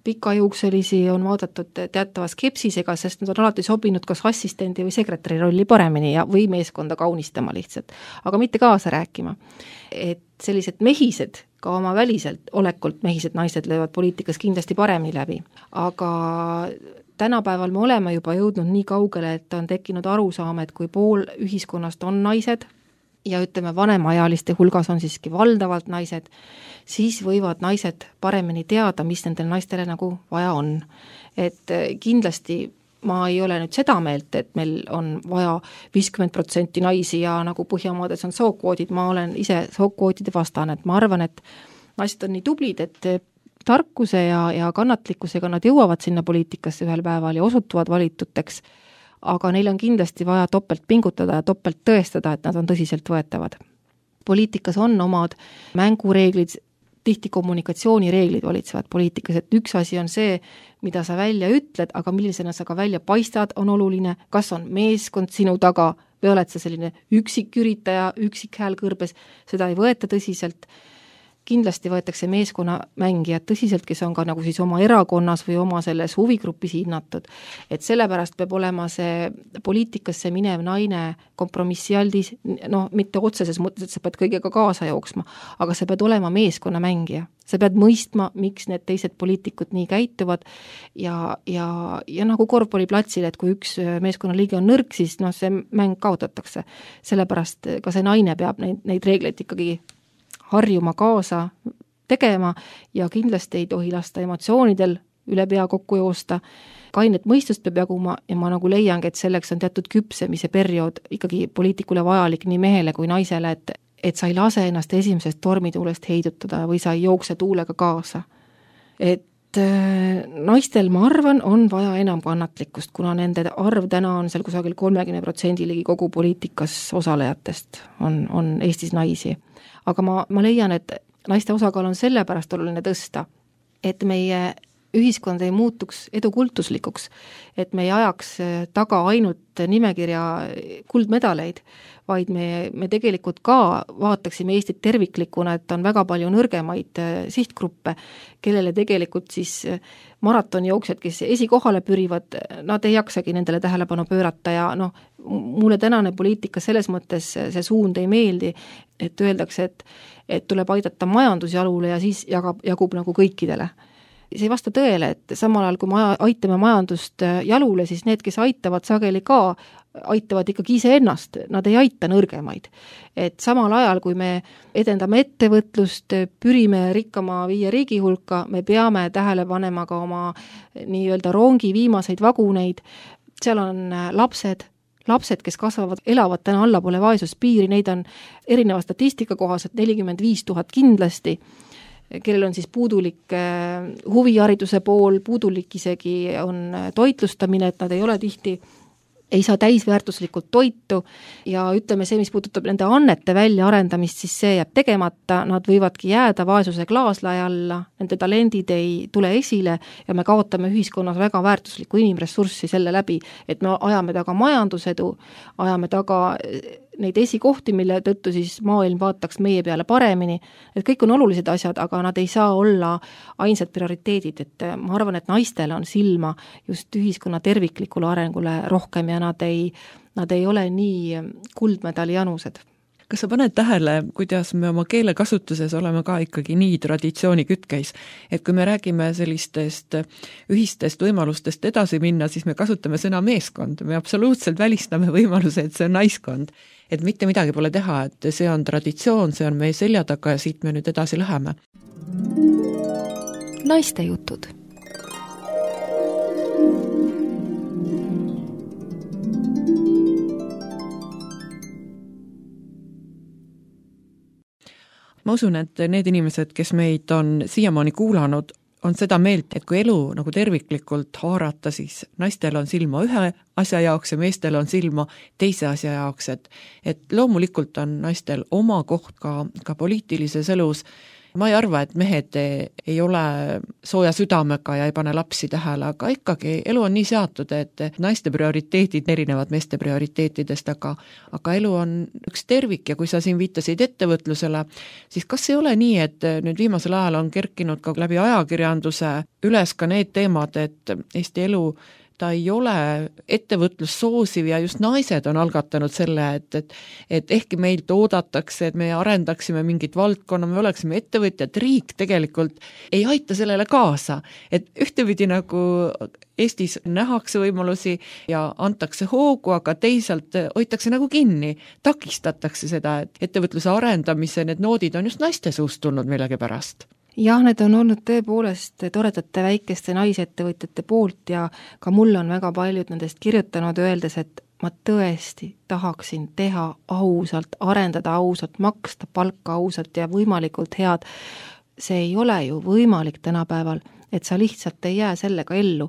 pikajuukselisi on vaadatud teatava skepsisega, sest nad on alati sobinud kas assistendi või sekretäri rolli paremini või meeskonda kaunistama lihtsalt, aga mitte kaasa rääkima. Et sellised mehised, ka oma väliselt olekult mehised naised löövad poliitikas kindlasti paremini läbi, aga tänapäeval me oleme juba jõudnud nii kaugele, et on tekkinud arusaam, et kui pool ühiskonnast on naised, ja ütleme, vanemaealiste hulgas on siiski valdavalt naised, siis võivad naised paremini teada, mis nendel naistele nagu vaja on. Et kindlasti ma ei ole nüüd seda meelt, et meil on vaja 50% naisi ja nagu Põhjamaades on sookvoodid, ma olen ise sookvoodide vastane, et ma arvan, et naised on nii tublid, et tarkuse ja kannatlikkusega nad jõuavad sinna poliitikasse ühel päeval ja osutuvad valituteks, aga neil on kindlasti vaja topelt pingutada ja topelt tõestada, et nad on tõsiselt võetavad. Poliitikas on omad mängureeglid, tihti kommunikatsioonireeglid valitsevad poliitikas, et üks asi on see, mida sa välja ütled, aga millisena sa ka välja paistad, on oluline, kas on meeskond sinu taga või oled sa selline üksiküritaja, üksik hääl kõrbes, seda ei võeta tõsiselt. Kindlasti võetakse meeskonna mängijad tõsiselt, kes on ka nagu siis oma erakonnas või oma selles huvigrupis hinnatud. Et sellepärast peab olema see poliitikasse minev naine kompromissialdis, mitte otseses mõttes, et sa pead kõigega kaasa jooksma, aga sa pead olema meeskonna mängija. Sa pead mõistma, miks need teised poliitikud nii käituvad ja nagu korvpalliplatsil, et kui üks meeskonnaliige on nõrk, siis see mäng kaotatakse. Sellepärast ka see naine peab neid reegleid ikkagi harjuma kaasa tegema ja kindlasti ei tohi lasta emotsioonidel üle pea kokku joosta. Kainet mõistust peab jaguma ja ma nagu leiangi, et selleks on teatud küpsemise periood ikkagi poliitikule vajalik nii mehele kui naisele, et sa ei lase ennast esimesest tormituulest heidutada või sa ei jookse tuulega kaasa. Et naistel, ma arvan, on vaja enam kannatlikkust, kuna nende arv täna on seal kusagil 30% ligi kogu poliitikas osalejatest on Eestis naisi. Aga ma leian, et naiste osakaal on sellepärast oluline tõsta, et meie ühiskond ei muutuks edukultuslikuks, et me ei ajaks taga ainult nimekirja kuldmedaleid, vaid me tegelikult ka vaataksime Eestit terviklikuna, et on väga palju nõrgemaid sihtgruppe, kellele tegelikult siis maratonijooksjad, kes esikohale pürivad, nad ei jaksagi nendele tähelepanu pöörata ja mulle tänane poliitika selles mõttes see suund ei meeldi, et öeldakse, et tuleb aidata majandusjalule ja siis jagub nagu kõikidele. See ei vasta tõele, et samal ajal, kui me aitame majandust jalule, siis need, kes aitavad sageli ka, aitavad ikkagi iseennast, nad ei aita nõrgemaid. Et samal ajal, kui me edendame ettevõtlust, pürime rikkama 5 riigi hulka, me peame tähele panema ka oma nii-öelda rongi viimaseid vaguneid, seal on lapsed, kes kasvavad, elavad täna allapoole vaesuspiiri, neid on erineva statistika kohaselt 45 000 kindlasti, kellel on siis puudulik huvihariduse pool, puudulik isegi on toitlustamine, et nad ei ole tihti, ei saa täisväärtuslikult toitu ja ütleme see, mis puudutab nende annete väljaarendamist, siis see jääb tegemata, nad võivadki jääda vaesuse klaaslae alla, nende talendid ei tule esile ja me kaotame ühiskonnas väga väärtuslikku inimressurssi selle läbi, et me ajame taga majandusedu, ajame taga neid esikohti, mille tõttu siis maailm vaataks meie peale paremini, et kõik on olulised asjad, aga nad ei saa olla ainsad prioriteedid, et ma arvan, et naistel on silma just ühiskonna terviklikule arengule rohkem ja nad ei ole nii kuldmedali janused. Kas sa paned tähele, kuidas me oma keelekasutuses oleme ka ikkagi nii traditsiooni kütkeis, et kui me räägime sellistest ühistest võimalustest edasi minna, siis me kasutame sõna meeskond, me absoluutselt välistame võimaluse, et see on naiskond, et mitte midagi pole teha, et see on traditsioon, see on meie selja taga ja siit me nüüd edasi läheme. Naiste jutud. Ma usun, et need inimesed, kes meid on siiamaani kuulanud, on seda meelt, et kui elu nagu terviklikult haarata, siis naistel on silma ühe asja jaoks ja meestel on silma teise asja jaoks, et loomulikult on naistel oma koht ka poliitilises elus. Ma ei arva, et mehed ei ole sooja südamega ja ei pane lapsi tähele, aga ikkagi elu on nii seatud, et naiste prioriteedid erinevad meeste prioriteetidest, aga elu on üks tervik ja kui sa siin viitasid ettevõtlusele, siis kas ei ole nii, et nüüd viimasel ajal on kerkinud ka läbi ajakirjanduse üles ka need teemad, et Eesti elu ta ei ole ettevõtlus soosiv ja just naised on algatanud selle, et ehkki meilt oodatakse, et me arendaksime mingit valdkonna, me oleksime ettevõtjad, riik tegelikult ei aita sellele kaasa. Et ühtepidi nagu Eestis nähakse võimalusi ja antakse hoogu, aga teisalt hoitakse nagu kinni, takistatakse seda, et ettevõtluse arendamise need noodid on just naiste suust tulnud millegi pärast. Jah, need on olnud tõepoolest toredate väikeste naisettevõtjate poolt ja ka mulle on väga paljud nendest kirjutanud öeldes, et ma tõesti tahaksin teha ausalt, arendada ausalt, maksta palka ausalt ja võimalikult head. See ei ole ju võimalik tänapäeval, et sa lihtsalt ei jää sellega ellu.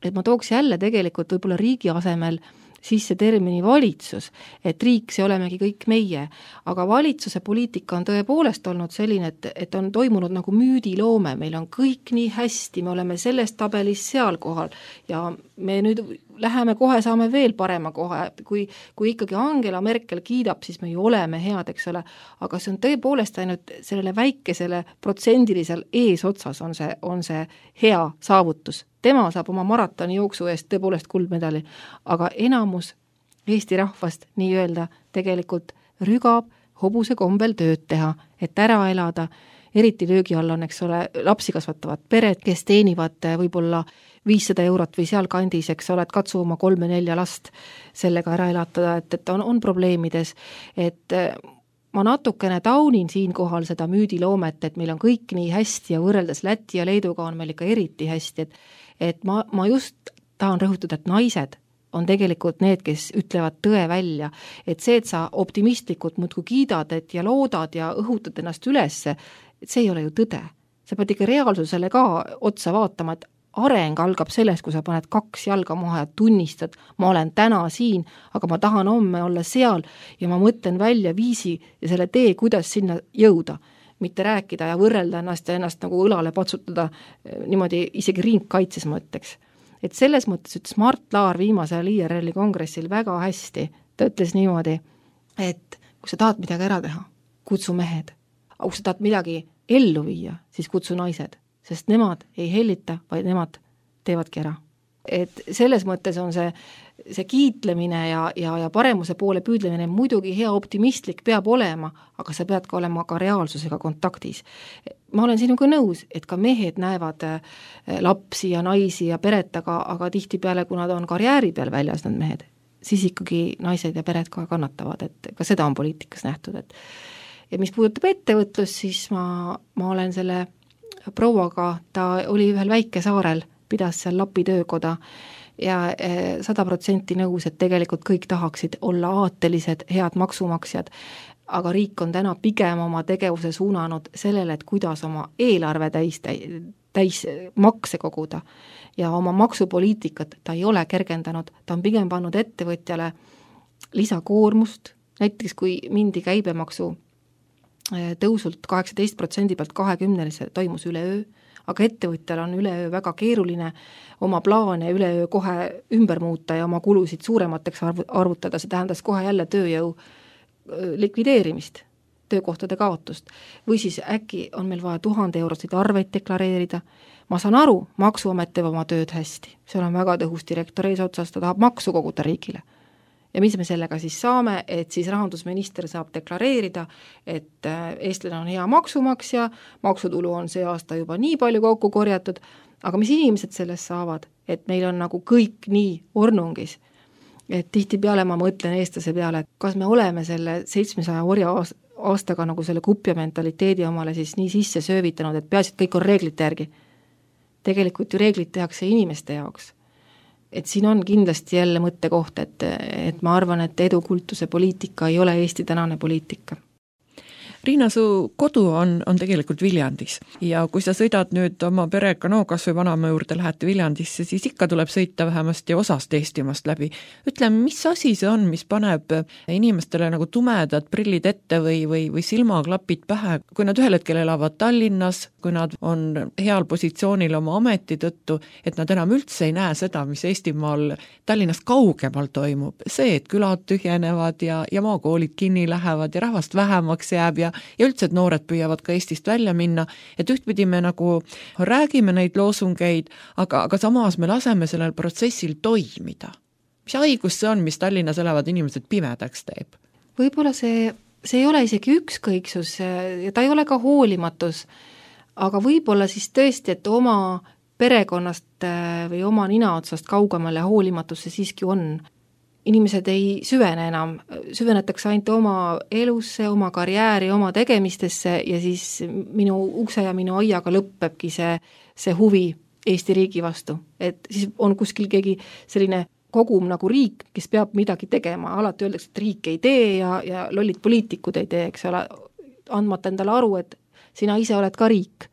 Et ma tooks jälle tegelikult võib-olla riigi asemel sisse termini valitsus, et riik, see olemegi kõik meie, aga valitsuse poliitika on tõepoolest olnud selline, et on toimunud nagu müüdiloome, meil on kõik nii hästi, me oleme selles tabelis seal kohal ja me nüüd läheme kohe, saame veel parema kohe, kui ikkagi Angela Merkel kiidab, siis me ju oleme head, eks ole, aga see on tõepoolest ainult sellele väikesele protsendilisel eesotsas on see hea saavutus. Tema saab oma maratoni jooksu eest tõepoolest kuldmedali, aga enamus Eesti rahvast nii-öelda tegelikult rügab hobuse kombel tööd teha, et ära elada, eriti löögi all on, eks ole, lapsi kasvatavad pered, kes teenivad võib-olla 500 eurot või seal kandis, eks ole, et katsu oma 3-4 last sellega ära elatada, et on probleemides, et ma natukene taunin siinkohal seda müüdiloomet, et meil on kõik nii hästi ja võrreldes Läti ja Leeduga on meil ikka eriti hästi, et ma just tahan rõhutada, et naised on tegelikult need, kes ütlevad tõe välja, et see, et sa optimistlikult muudkui kiidad ja loodad ja õhutad ennast ülesse, et see ei ole ju tõde. Sa pead ikka reaalsusele ka otsa vaatama, et areng algab sellest, kui sa paned 2 jalga maha ja tunnistad, ma olen täna siin, aga ma tahan homme olla seal ja ma mõtlen välja viisi ja selle tee, kuidas sinna jõuda. Mitte rääkida ja võrrelda ennast nagu õlale patsutada niimoodi isegi ringkaitses, ma ütleks. Et selles mõttes ütles Mart Laar viimasel IRL-i kongressil väga hästi, ta ütles niimoodi, et kui sa tahad midagi ära teha, kutsu mehed, aga kui sa tahad midagi ellu viia, siis kutsu naised, sest nemad ei hellita, vaid nemad teevadki ära. Et selles mõttes on see kiitlemine ja paremuse poole püüdlemine muidugi hea optimistlik peab olema, aga sa pead ka olema ka reaalsusega kontaktis. Ma olen sinuga nõus, et ka mehed näevad lapsi ja naisi ja peret, aga tihtipeale, kui nad on karjääri peal väljas, need mehed, siis ikkagi naised ja pered ka kannatavad, et ka seda on poliitikas nähtud. Ja mis puudutab ettevõtlust, siis ma olen selle prouaga, ta oli ühel väikesaarel, pidas seal Lapi töökoda ja 100% nõus, et tegelikult kõik tahaksid olla aatelised, head maksumaksjad, aga riik on täna pigem oma tegevuse suunanud sellele, et kuidas oma eelarve täis makse koguda ja oma maksupoliitikat ta ei ole kergendanud, ta on pigem pannud ettevõtjale lisakoormust, näiteks kui mindi käibemaksu tõusult 18% pealt 20% toimus üleöö, aga ettevõtjal on üleöö väga keeruline oma plaane üleöö kohe ümber muuta ja oma kulusid suuremateks arvutada, see tähendas kohe jälle tööjõu likvideerimist, töökohtade kaotust. Või siis äkki on meil vaja 1000 eurosid arveid deklareerida. Ma saan aru, maksuamet teeb oma tööd hästi, seal on väga tõhus direktor eesotsas, ta tahab maksu koguda riigile. Ja mis me sellega siis saame, et siis rahandusminister saab deklareerida, et eestlane on hea maksumaksja, maksutulu on see aasta juba nii palju kokku korjatud, aga mis inimesed sellest saavad, et meil on nagu kõik nii ornungis, et tihtipeale ma mõtlen eestlase peale, et kas me oleme selle 700 orja aastaga nagu selle kupja mentaliteedi omale siis nii sisse söövitanud, et peaasi, et kõik on reeglite järgi. Tegelikult ju reeglid tehakse inimeste jaoks. Et siin on kindlasti jälle mõttekoht, et ma arvan, et edukultuse poliitika ei ole Eesti tänane poliitika. Riina, su kodu on tegelikult Viljandis ja kui sa sõidad nüüd oma perega, kas või vanaema juurde lähete Viljandisse, siis ikka tuleb sõita vähemasti osast Eestimaast läbi. Ütle, mis asi see on, mis paneb inimestele nagu tumedad prillid ette või silmaklapid pähe, kui nad ühel hetkel elavad Tallinnas, kui nad on heal positsioonil oma ameti tõttu, et nad enam üldse ei näe seda, mis Eestimaal Tallinnast kaugemal toimub. See, et külad tühjenevad ja maakoolid kinni lähevad ja rahvast vähemaks jääb ja üldse, et noored püüavad ka Eestist välja minna, et ühtpidi me nagu räägime neid loosungeid, aga samas me laseme sellel protsessil toimida. Mis haigus see on, mis Tallinnas elavad inimesed pimedaks teeb? Võib-olla see ei ole isegi ükskõiksus ja ta ei ole ka hoolimatus, aga võib-olla siis tõesti, et oma perekonnast või oma ninaotsast kaugemale hoolimatus see siiski on. Inimesed ei süvene enam, süvenetakse ainult oma elusse, oma karjääri, oma tegemistesse ja siis minu ukse ja minu aiaga lõppebki see huvi Eesti riigi vastu. Et siis on kuskil keegi selline kogum nagu riik, kes peab midagi tegema, alati öeldakse, et riik ei tee ja lollid poliitikud ei tee, eks ole, andmata endale aru, et sina ise oled ka riik.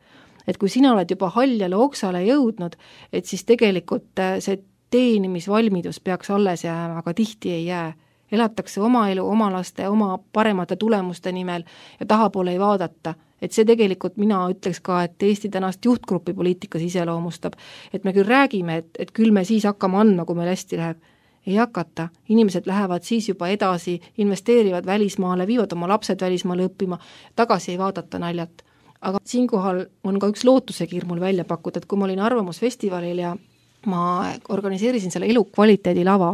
Et kui sina oled juba haljale oksale jõudnud, et siis tegelikult see teenimisvalmidus peaks alles jääma, aga tihti ei jää. Elatakse oma elu, oma laste, oma paremate tulemuste nimel ja tahapoole ei vaadata. Et see tegelikult mina ütleks ka, et Eesti tänast juhtgruppi poliitikas iseloomustab, et me küll räägime, et küll me siis hakkame andma, kui meil hästi läheb. Ei hakata, inimesed lähevad siis juba edasi, investeerivad välismaale, viivad oma lapsed välismaale õppima, tagasi ei vaadata naljalt. Aga siinkohal on ka üks lootusekiir mul välja pakkuda, et kui ma olin Arvamusfestivalil ja ma organiseerisin selle elukvaliteedi lava,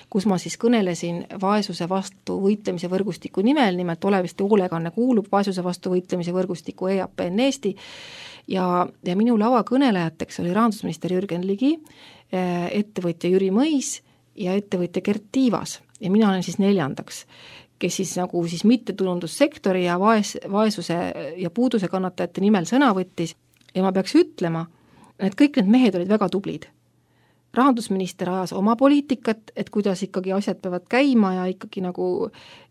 kus ma siis kõnelesin vaesuse vastu võitlemise võrgustiku nimelt Oleviste hoolekanne kuulub vaesuse vastu võitlemise võrgustiku EAPN Eesti ja minu lava kõnelejateks oli rahandusminister Jürgen Ligi, ettevõtja Jüri Mõis ja ettevõtja Gert Tiivas ja mina olen siis neljandaks, kes siis nagu siis mittetulundussektori ja vaesuse ja puuduse kannatajate nimel sõna võttis ja ma peaks ütlema, et kõik need mehed olid väga tublid. Rahandusminister ajas oma poliitikat, et kuidas ikkagi asjad peavad käima ja ikkagi nagu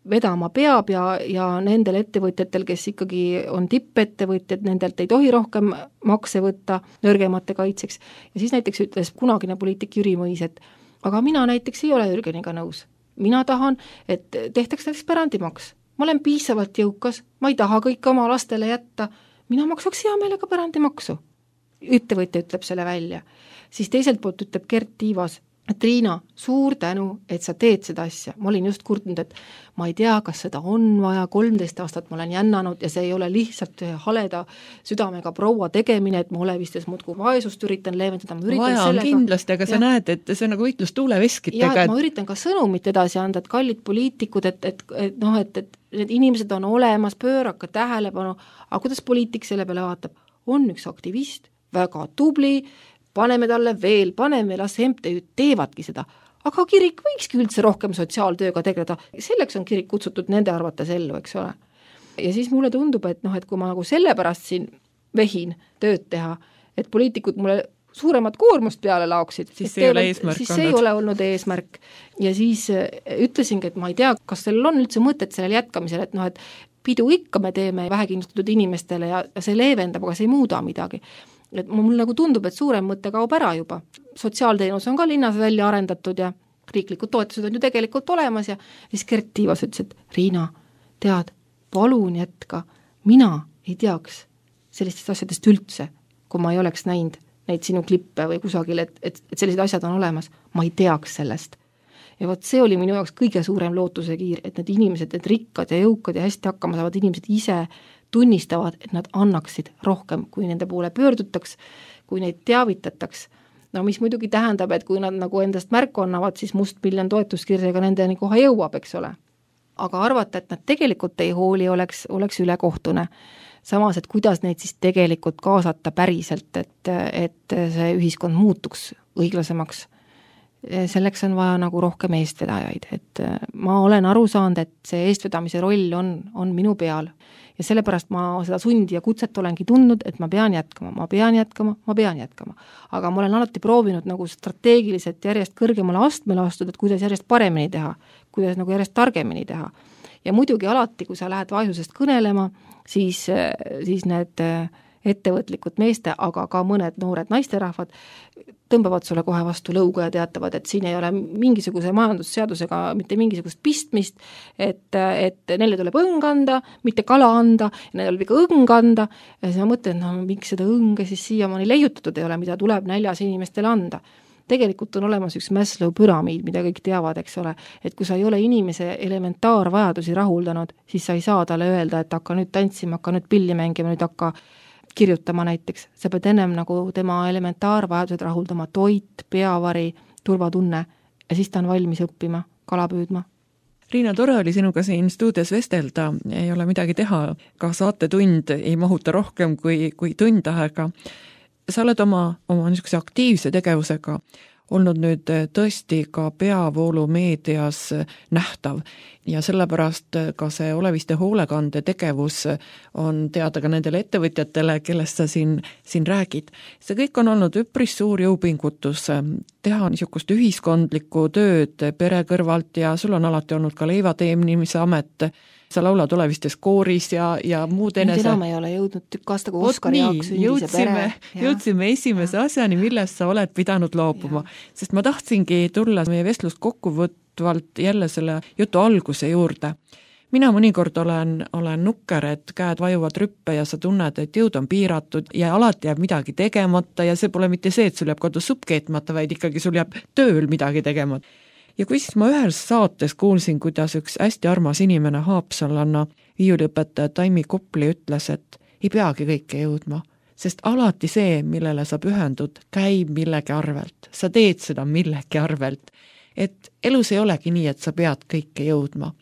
vedama peab ja nendel ettevõtjatel, kes ikkagi on tippettevõtjad, nendelt ei tohi rohkem makse võtta nõrgemate kaitseks. Ja siis näiteks ütles kunagine poliitik Jüri Mõis, et aga mina näiteks ei ole Jürgeniga nõus. Mina tahan, et tehtaks näiteks pärandimaks. Ma olen piisavalt jõukas, ma ei taha kõike oma lastele jätta, mina maksaks hea meelega pärandimaksu. Ettevõtja ütleb selle välja. Siis teiselt poolt ütleb Gert Tiivas, et Riina, suur tänu, et sa teed seda asja. Ma olin just kurtnud, et ma ei tea, kas seda on vaja, 13 aastat ma olen jännanud ja see ei ole lihtsalt haleda südamega proua tegemine, et ma Olevistes muudkui vaesust üritan leevendada. Vaja on kindlasti, aga sa näed, et see on nagu võitlus tuuleveskitega. Ja ma üritan ka sõnumit edasi anda, et kallid poliitikud, et need inimesed on olemas, pööraka tähelepanu, aga kuidas poliitik selle peale vaatab? On üks aktivist, väga tubli, paneme talle veel, las MTÜ teevadki seda, aga kirik võikski üldse rohkem sotsiaaltööga tegeleda, selleks on kirik kutsutud nende arvates ellu, eks ole. Ja siis mulle tundub, et kui ma nagu sellepärast siin vehin tööd teha, et poliitikud mulle suuremat koormust peale laoksid, siis see ei ole olnud eesmärk. Ja siis ütlesingi, et ma ei tea, kas sellel on üldse mõtet sellel jätkamisel, et pidu ikka me teeme vähekindlustatud inimestele ja see leevendab, aga see ei muuda midagi. Et mul nagu tundub, et suurem mõte kaob ära juba. Sotsiaalteenus on ka linnas välja arendatud ja riiklikud toetused on ju tegelikult olemas ja siis Gert Tiivas ütles, et Riina, tead, palun jätka, mina ei teaks sellistest asjadest üldse, kui ma ei oleks näinud neid sinu klippe või kusagil, et sellised asjad on olemas, ma ei teaks sellest. Ja vot see oli minu jaoks kõige suurem lootusekiir, et need inimesed, need rikkad ja jõukad ja hästi hakkama saavad inimesed ise tunnistavad, et nad annaksid rohkem, kui nende poole pöördutaks, kui neid teavitataks. No mis muidugi tähendab, et kui nad nagu endast märku annavad, siis Must miljon toetuskirjaga nendeni kohe jõuab, eks ole. Aga arvata, et nad tegelikult ei hooli, oleks ülekohtune. Samas, et kuidas neid siis tegelikult kaasata päriselt, et see ühiskond muutuks õiglasemaks. Selleks on vaja nagu rohkem eestvedajaid, et ma olen aru saanud, et see eestvedamise roll on minu peal ja sellepärast ma seda sundi ja kutset olengi tundnud, et ma pean jätkama. Aga ma olen alati proovinud nagu strateegiliselt järjest kõrgemale astmele astuda, et kuidas järjest paremini teha, kuidas nagu järjest targemini teha. Ja muidugi alati, kui sa lähed vaesusest kõnelema, siis need ettevõtlikud meeste, aga ka mõned noored naisterahvad tõmbavad sulle kohe vastu lõuga ja teatavad, et siin ei ole mingisuguse majandusseadusega mitte mingisugust pistmist, et neile tuleb õng anda, mitte kala anda, neile tuleb ikka õng anda, ja siis ma mõtlen, miks seda õnge siis siiamaani leiutatud ei ole, mida tuleb näljas inimestele anda. Tegelikult on olemas üks Maslow püramiid, mida kõik teavad, eks ole, et kui sa ei ole inimese elementaarvajadusi rahuldanud, siis sa ei saa talle öelda, et hakka nüüd tantsima, hakka nüüd pilli mängima, nüüd hakka kirjutama näiteks, sa pead ennem nagu tema elementaarvajadused rahuldama, toit, peavari, turvatunne ja siis ta on valmis õppima, kala püüdma. Riina, tore oli sinuga siin stuudios vestelda, ei ole midagi teha, ka saatetund ei mahuta rohkem kui tund aega. Sa oled oma niisuguse aktiivse tegevusega olnud nüüd tõesti ka peavoolu meedias nähtav ja sellepärast ka see Oleviste hoolekande tegevus on teada ka nendele ettevõtjatele, kellest sa siin räägid. See kõik on olnud üpris suur jõupingutus teha niisugust ühiskondlikku tööd pere kõrvalt ja sul on alati olnud ka leivateenimise amet sa laulad olevistes kooris ja muud enese. Nüüd enam ei ole jõudnud tükk aasta, kui Oskar Jaak sündis ja pere. Jõudsime esimese asjani, millest sa oled pidanud loobuma, sest ma tahtsingi tulla meie vestlust kokkuvõtvalt jälle selle jutu alguse juurde. Mina mõnikord olen nukker, et käed vajuvad rüppe ja sa tunned, et jõud on piiratud ja alati jääb midagi tegemata ja see pole mitte see, et sul jääb kodus supp keetmata, vaid ikkagi sul jääb tööl midagi tegemata. Ja kui siis ma ühes saates kuulsin, kuidas üks hästi armas inimene Haapsallanna viiuliõpetaja Taimi Kopli ütles, et ei peagi kõike jõudma, sest alati see, millele sa pühendud, käib millegi arvelt. Sa teed seda millegi arvelt. Et elus ei olegi nii, et sa pead kõike jõudma.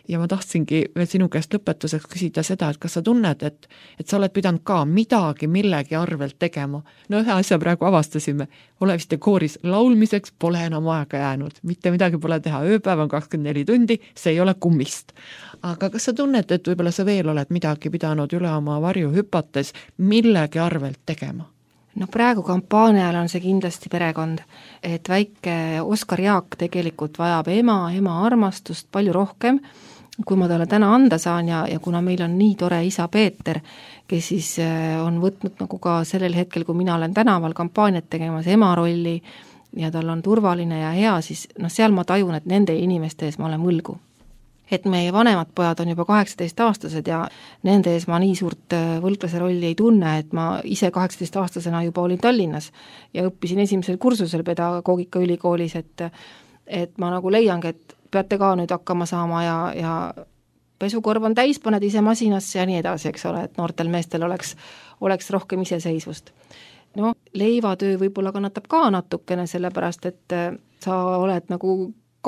Ja ma tahtsingi veel sinu käest lõpetuseks küsida seda, et kas sa tunned, et sa oled pidanud ka midagi millegi arvelt tegema. No ühe asja praegu avastasime, oleviste kooris laulmiseks pole enam aega jäänud. Mitte midagi pole teha, ööpäev on 24 tundi, see ei ole kummist. Aga kas sa tunned, et võib-olla sa veel oled midagi pidanud üle oma varju hüpates millegi arvelt tegema? No praegu kampaania ajal on see kindlasti perekond, et väike Oskar Jaak tegelikult vajab ema armastust palju rohkem, kui ma talle täna anda saan ja kuna meil on nii tore isa Peeter, kes siis on võtnud nagu ka sellel hetkel, kui mina olen tänaval kampaaniat tegemas ema rolli ja tal on turvaline ja hea, siis seal ma tajun, et nende inimeste ees ma olen võlgu. Et meie vanemad pojad on juba 18-aastased ja nende ees ma nii suurt võlglase rolli ei tunne, et ma ise 18-aastasena juba olin Tallinnas ja õppisin esimesel kursusel pedagoogika ülikoolis, et ma nagu leiangi, et peate ka nüüd hakkama saama ja pesukorv on täis, paned ise masinasse ja nii edasi, eks ole, et noortel meestel oleks rohkem iseseisvust. No, leivatöö võib-olla kannatab ka natukene, sellepärast, et sa oled nagu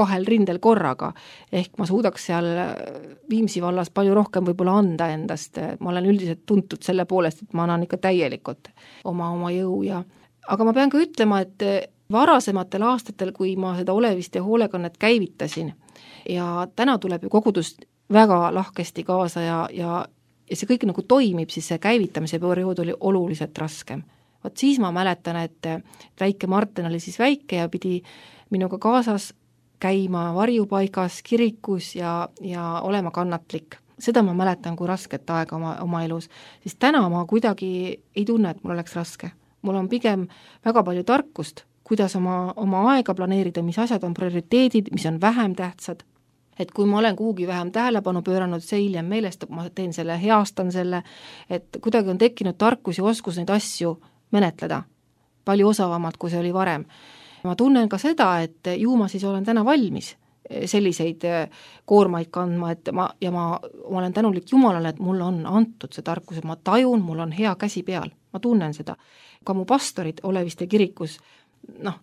2 rindel korraga, ehk ma suudaks seal Viimsi vallas palju rohkem võib-olla anda endast, ma olen üldiselt tuntud selle poolest, et ma annan ikka täielikult oma jõu aga ma pean ka ütlema, et varasematel aastatel, kui ma seda olevist ja hoolekannet käivitasin ja täna tuleb ju kogudus väga lahkesti kaasa ja see kõik nagu toimib, siis see käivitamise periood oli oluliselt raskem. Vaat siis ma mäletan, et väike Martin oli siis väike ja pidi minuga kaasas käima varjupaigas, kirikus ja olema kannatlik. Seda ma mäletan, kui rasket aega oma elus, siis täna ma kuidagi ei tunne, et mul oleks raske. Mul on pigem väga palju tarkust, kuidas oma aega planeerida, mis asjad on prioriteedid, mis on vähem tähtsad. Et kui ma olen kuhugi vähem tähelepanu pööranud, see hiljem meelestab, ma teen selle, heastan selle, et kuidagi on tekkinud tarkus ja oskus neid asju menetleda palju osavamalt, kui see oli varem. Ma tunnen ka seda, et ju ma siis olen täna valmis selliseid koormaid kandma, et ma olen tänulik Jumalale, et mulle on antud see tarkus, et ma tajun, mul on hea käsi peal, ma tunnen seda. Ka mu pastorid Oleviste kirikus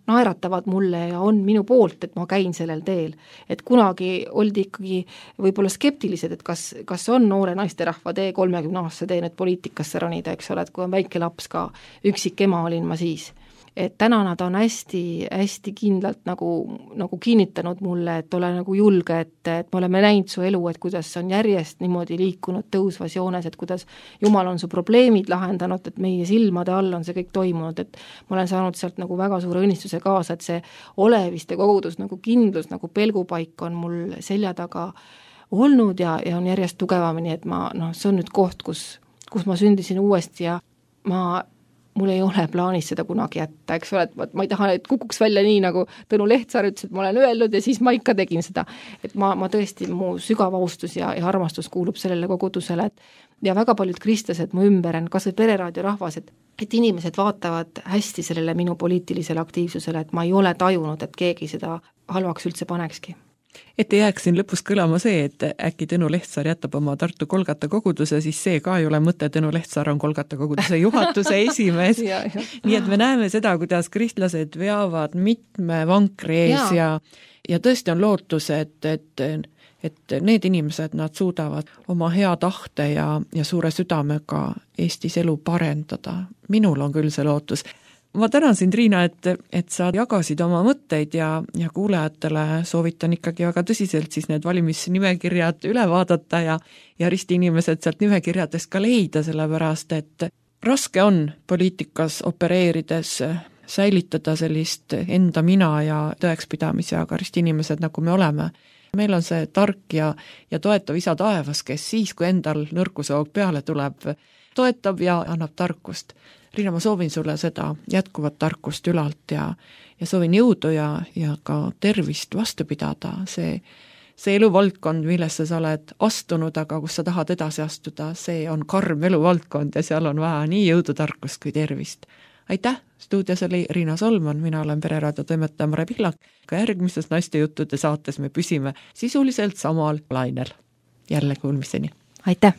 naeratavad mulle ja on minu poolt, et ma käin sellel teel. Et kunagi oldi ikkagi võib-olla skeptilised, et kas on noore naisterahva tee 30-aastase tee nüüd poliitikasse ronida, eks ole, et kui on väike laps ka, üksik ema olin ma siis. Et täna nad on hästi kindlalt nagu kinnitanud mulle, et ole nagu julge, et me oleme näinud su elu, et kuidas on järjest niimoodi liikunud tõusvas joones, et kuidas Jumal on su probleemid lahendanud, et meie silmade all on see kõik toimunud, et ma olen saanud sealt nagu väga suure õnnistuse kaasa, et see oleviste kogudus nagu kindlus, nagu pelgupaik on mul selja taga olnud ja on järjest tugevamini, et see on nüüd koht, kus ma sündisin uuesti ja mul ei ole plaanis seda kunagi jätta, eks ole, et ma ei taha, et kukuks välja nii, nagu Tõnu Lehtsaar ütles, et ma olen öelnud ja siis ma ikka tegin seda. Et ma tõesti, mu sügav austus ja armastus kuulub sellele kogudusele, ja väga paljud kristlased mu ümber on, kas või pereraadio rahvas, et inimesed vaatavad hästi sellele minu poliitilisele aktiivsusele, et ma ei ole tajunud, et keegi seda halvaks üldse panekski. Et ei jääks siin lõpus kõlama see, et äkki Tõnu Lehtsaar jätab oma Tartu Kolgata koguduse, siis see ka ei ole mõte, Tõnu Lehtsaar on Kolgata koguduse juhatuse esimees. Nii et me näeme seda, kuidas kristlased veavad mitme vankri ees ja tõesti on lootus, et need inimesed, nad suudavad oma hea tahte ja suure südamega Eestis elu parendada. Minul on küll see lootus. Ma tänan sind, Riina, et sa jagasid oma mõtteid ja kuulajatele soovitan ikkagi väga tõsiselt siis need valimisnimekirjad üle vaadata ja ristiinimesed sealt nimekirjadest ka leida, sellepärast et raske on poliitikas opereerides säilitada sellist enda mina ja tõekspidamisi, aga ristiinimesed, nagu me oleme, meil on see tark ja toetav isa taevas, kes siis, kui endal nõrkushoog peale tuleb, toetab ja annab tarkust. Riina, ma soovin sulle seda jätkuvat tarkust ülalt ja soovin jõudu ja ka tervist vastu pidada. See eluvaldkond, millesse sa oled astunud, aga kus sa tahad edasi astuda, see on karm eluvaldkond ja seal on vaja nii jõudu, tarkust kui tervist. Aitäh! Stuudios oli Riina Solman, mina olen Pereraadio toimetaja Mare Pihlak. Ka järgmises Naistejuttude saates me püsime sisuliselt samal lainel. Jälle kuulmiseni! Aitäh!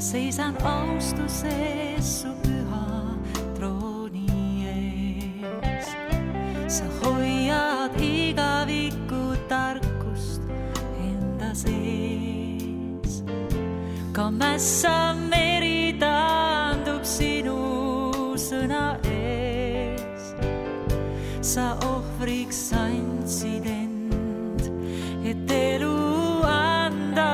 Seisan austuses su püha trooni ees. Sa hoiad igavikku tarkust enda sees. Ka mässav meri taandub sinu sõna ees. Sa ohvriks andsid end, et elu anda.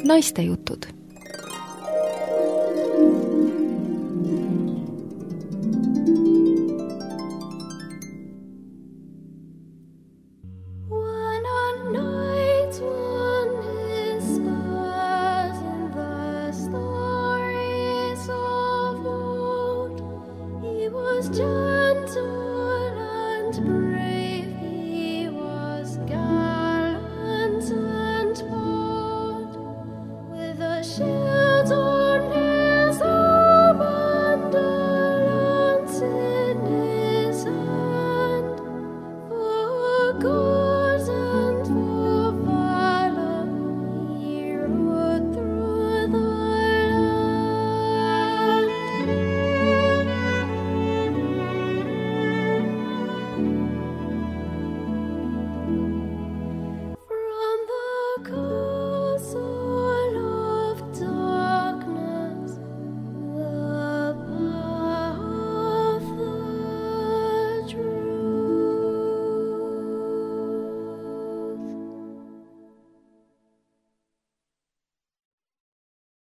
Naistejutud.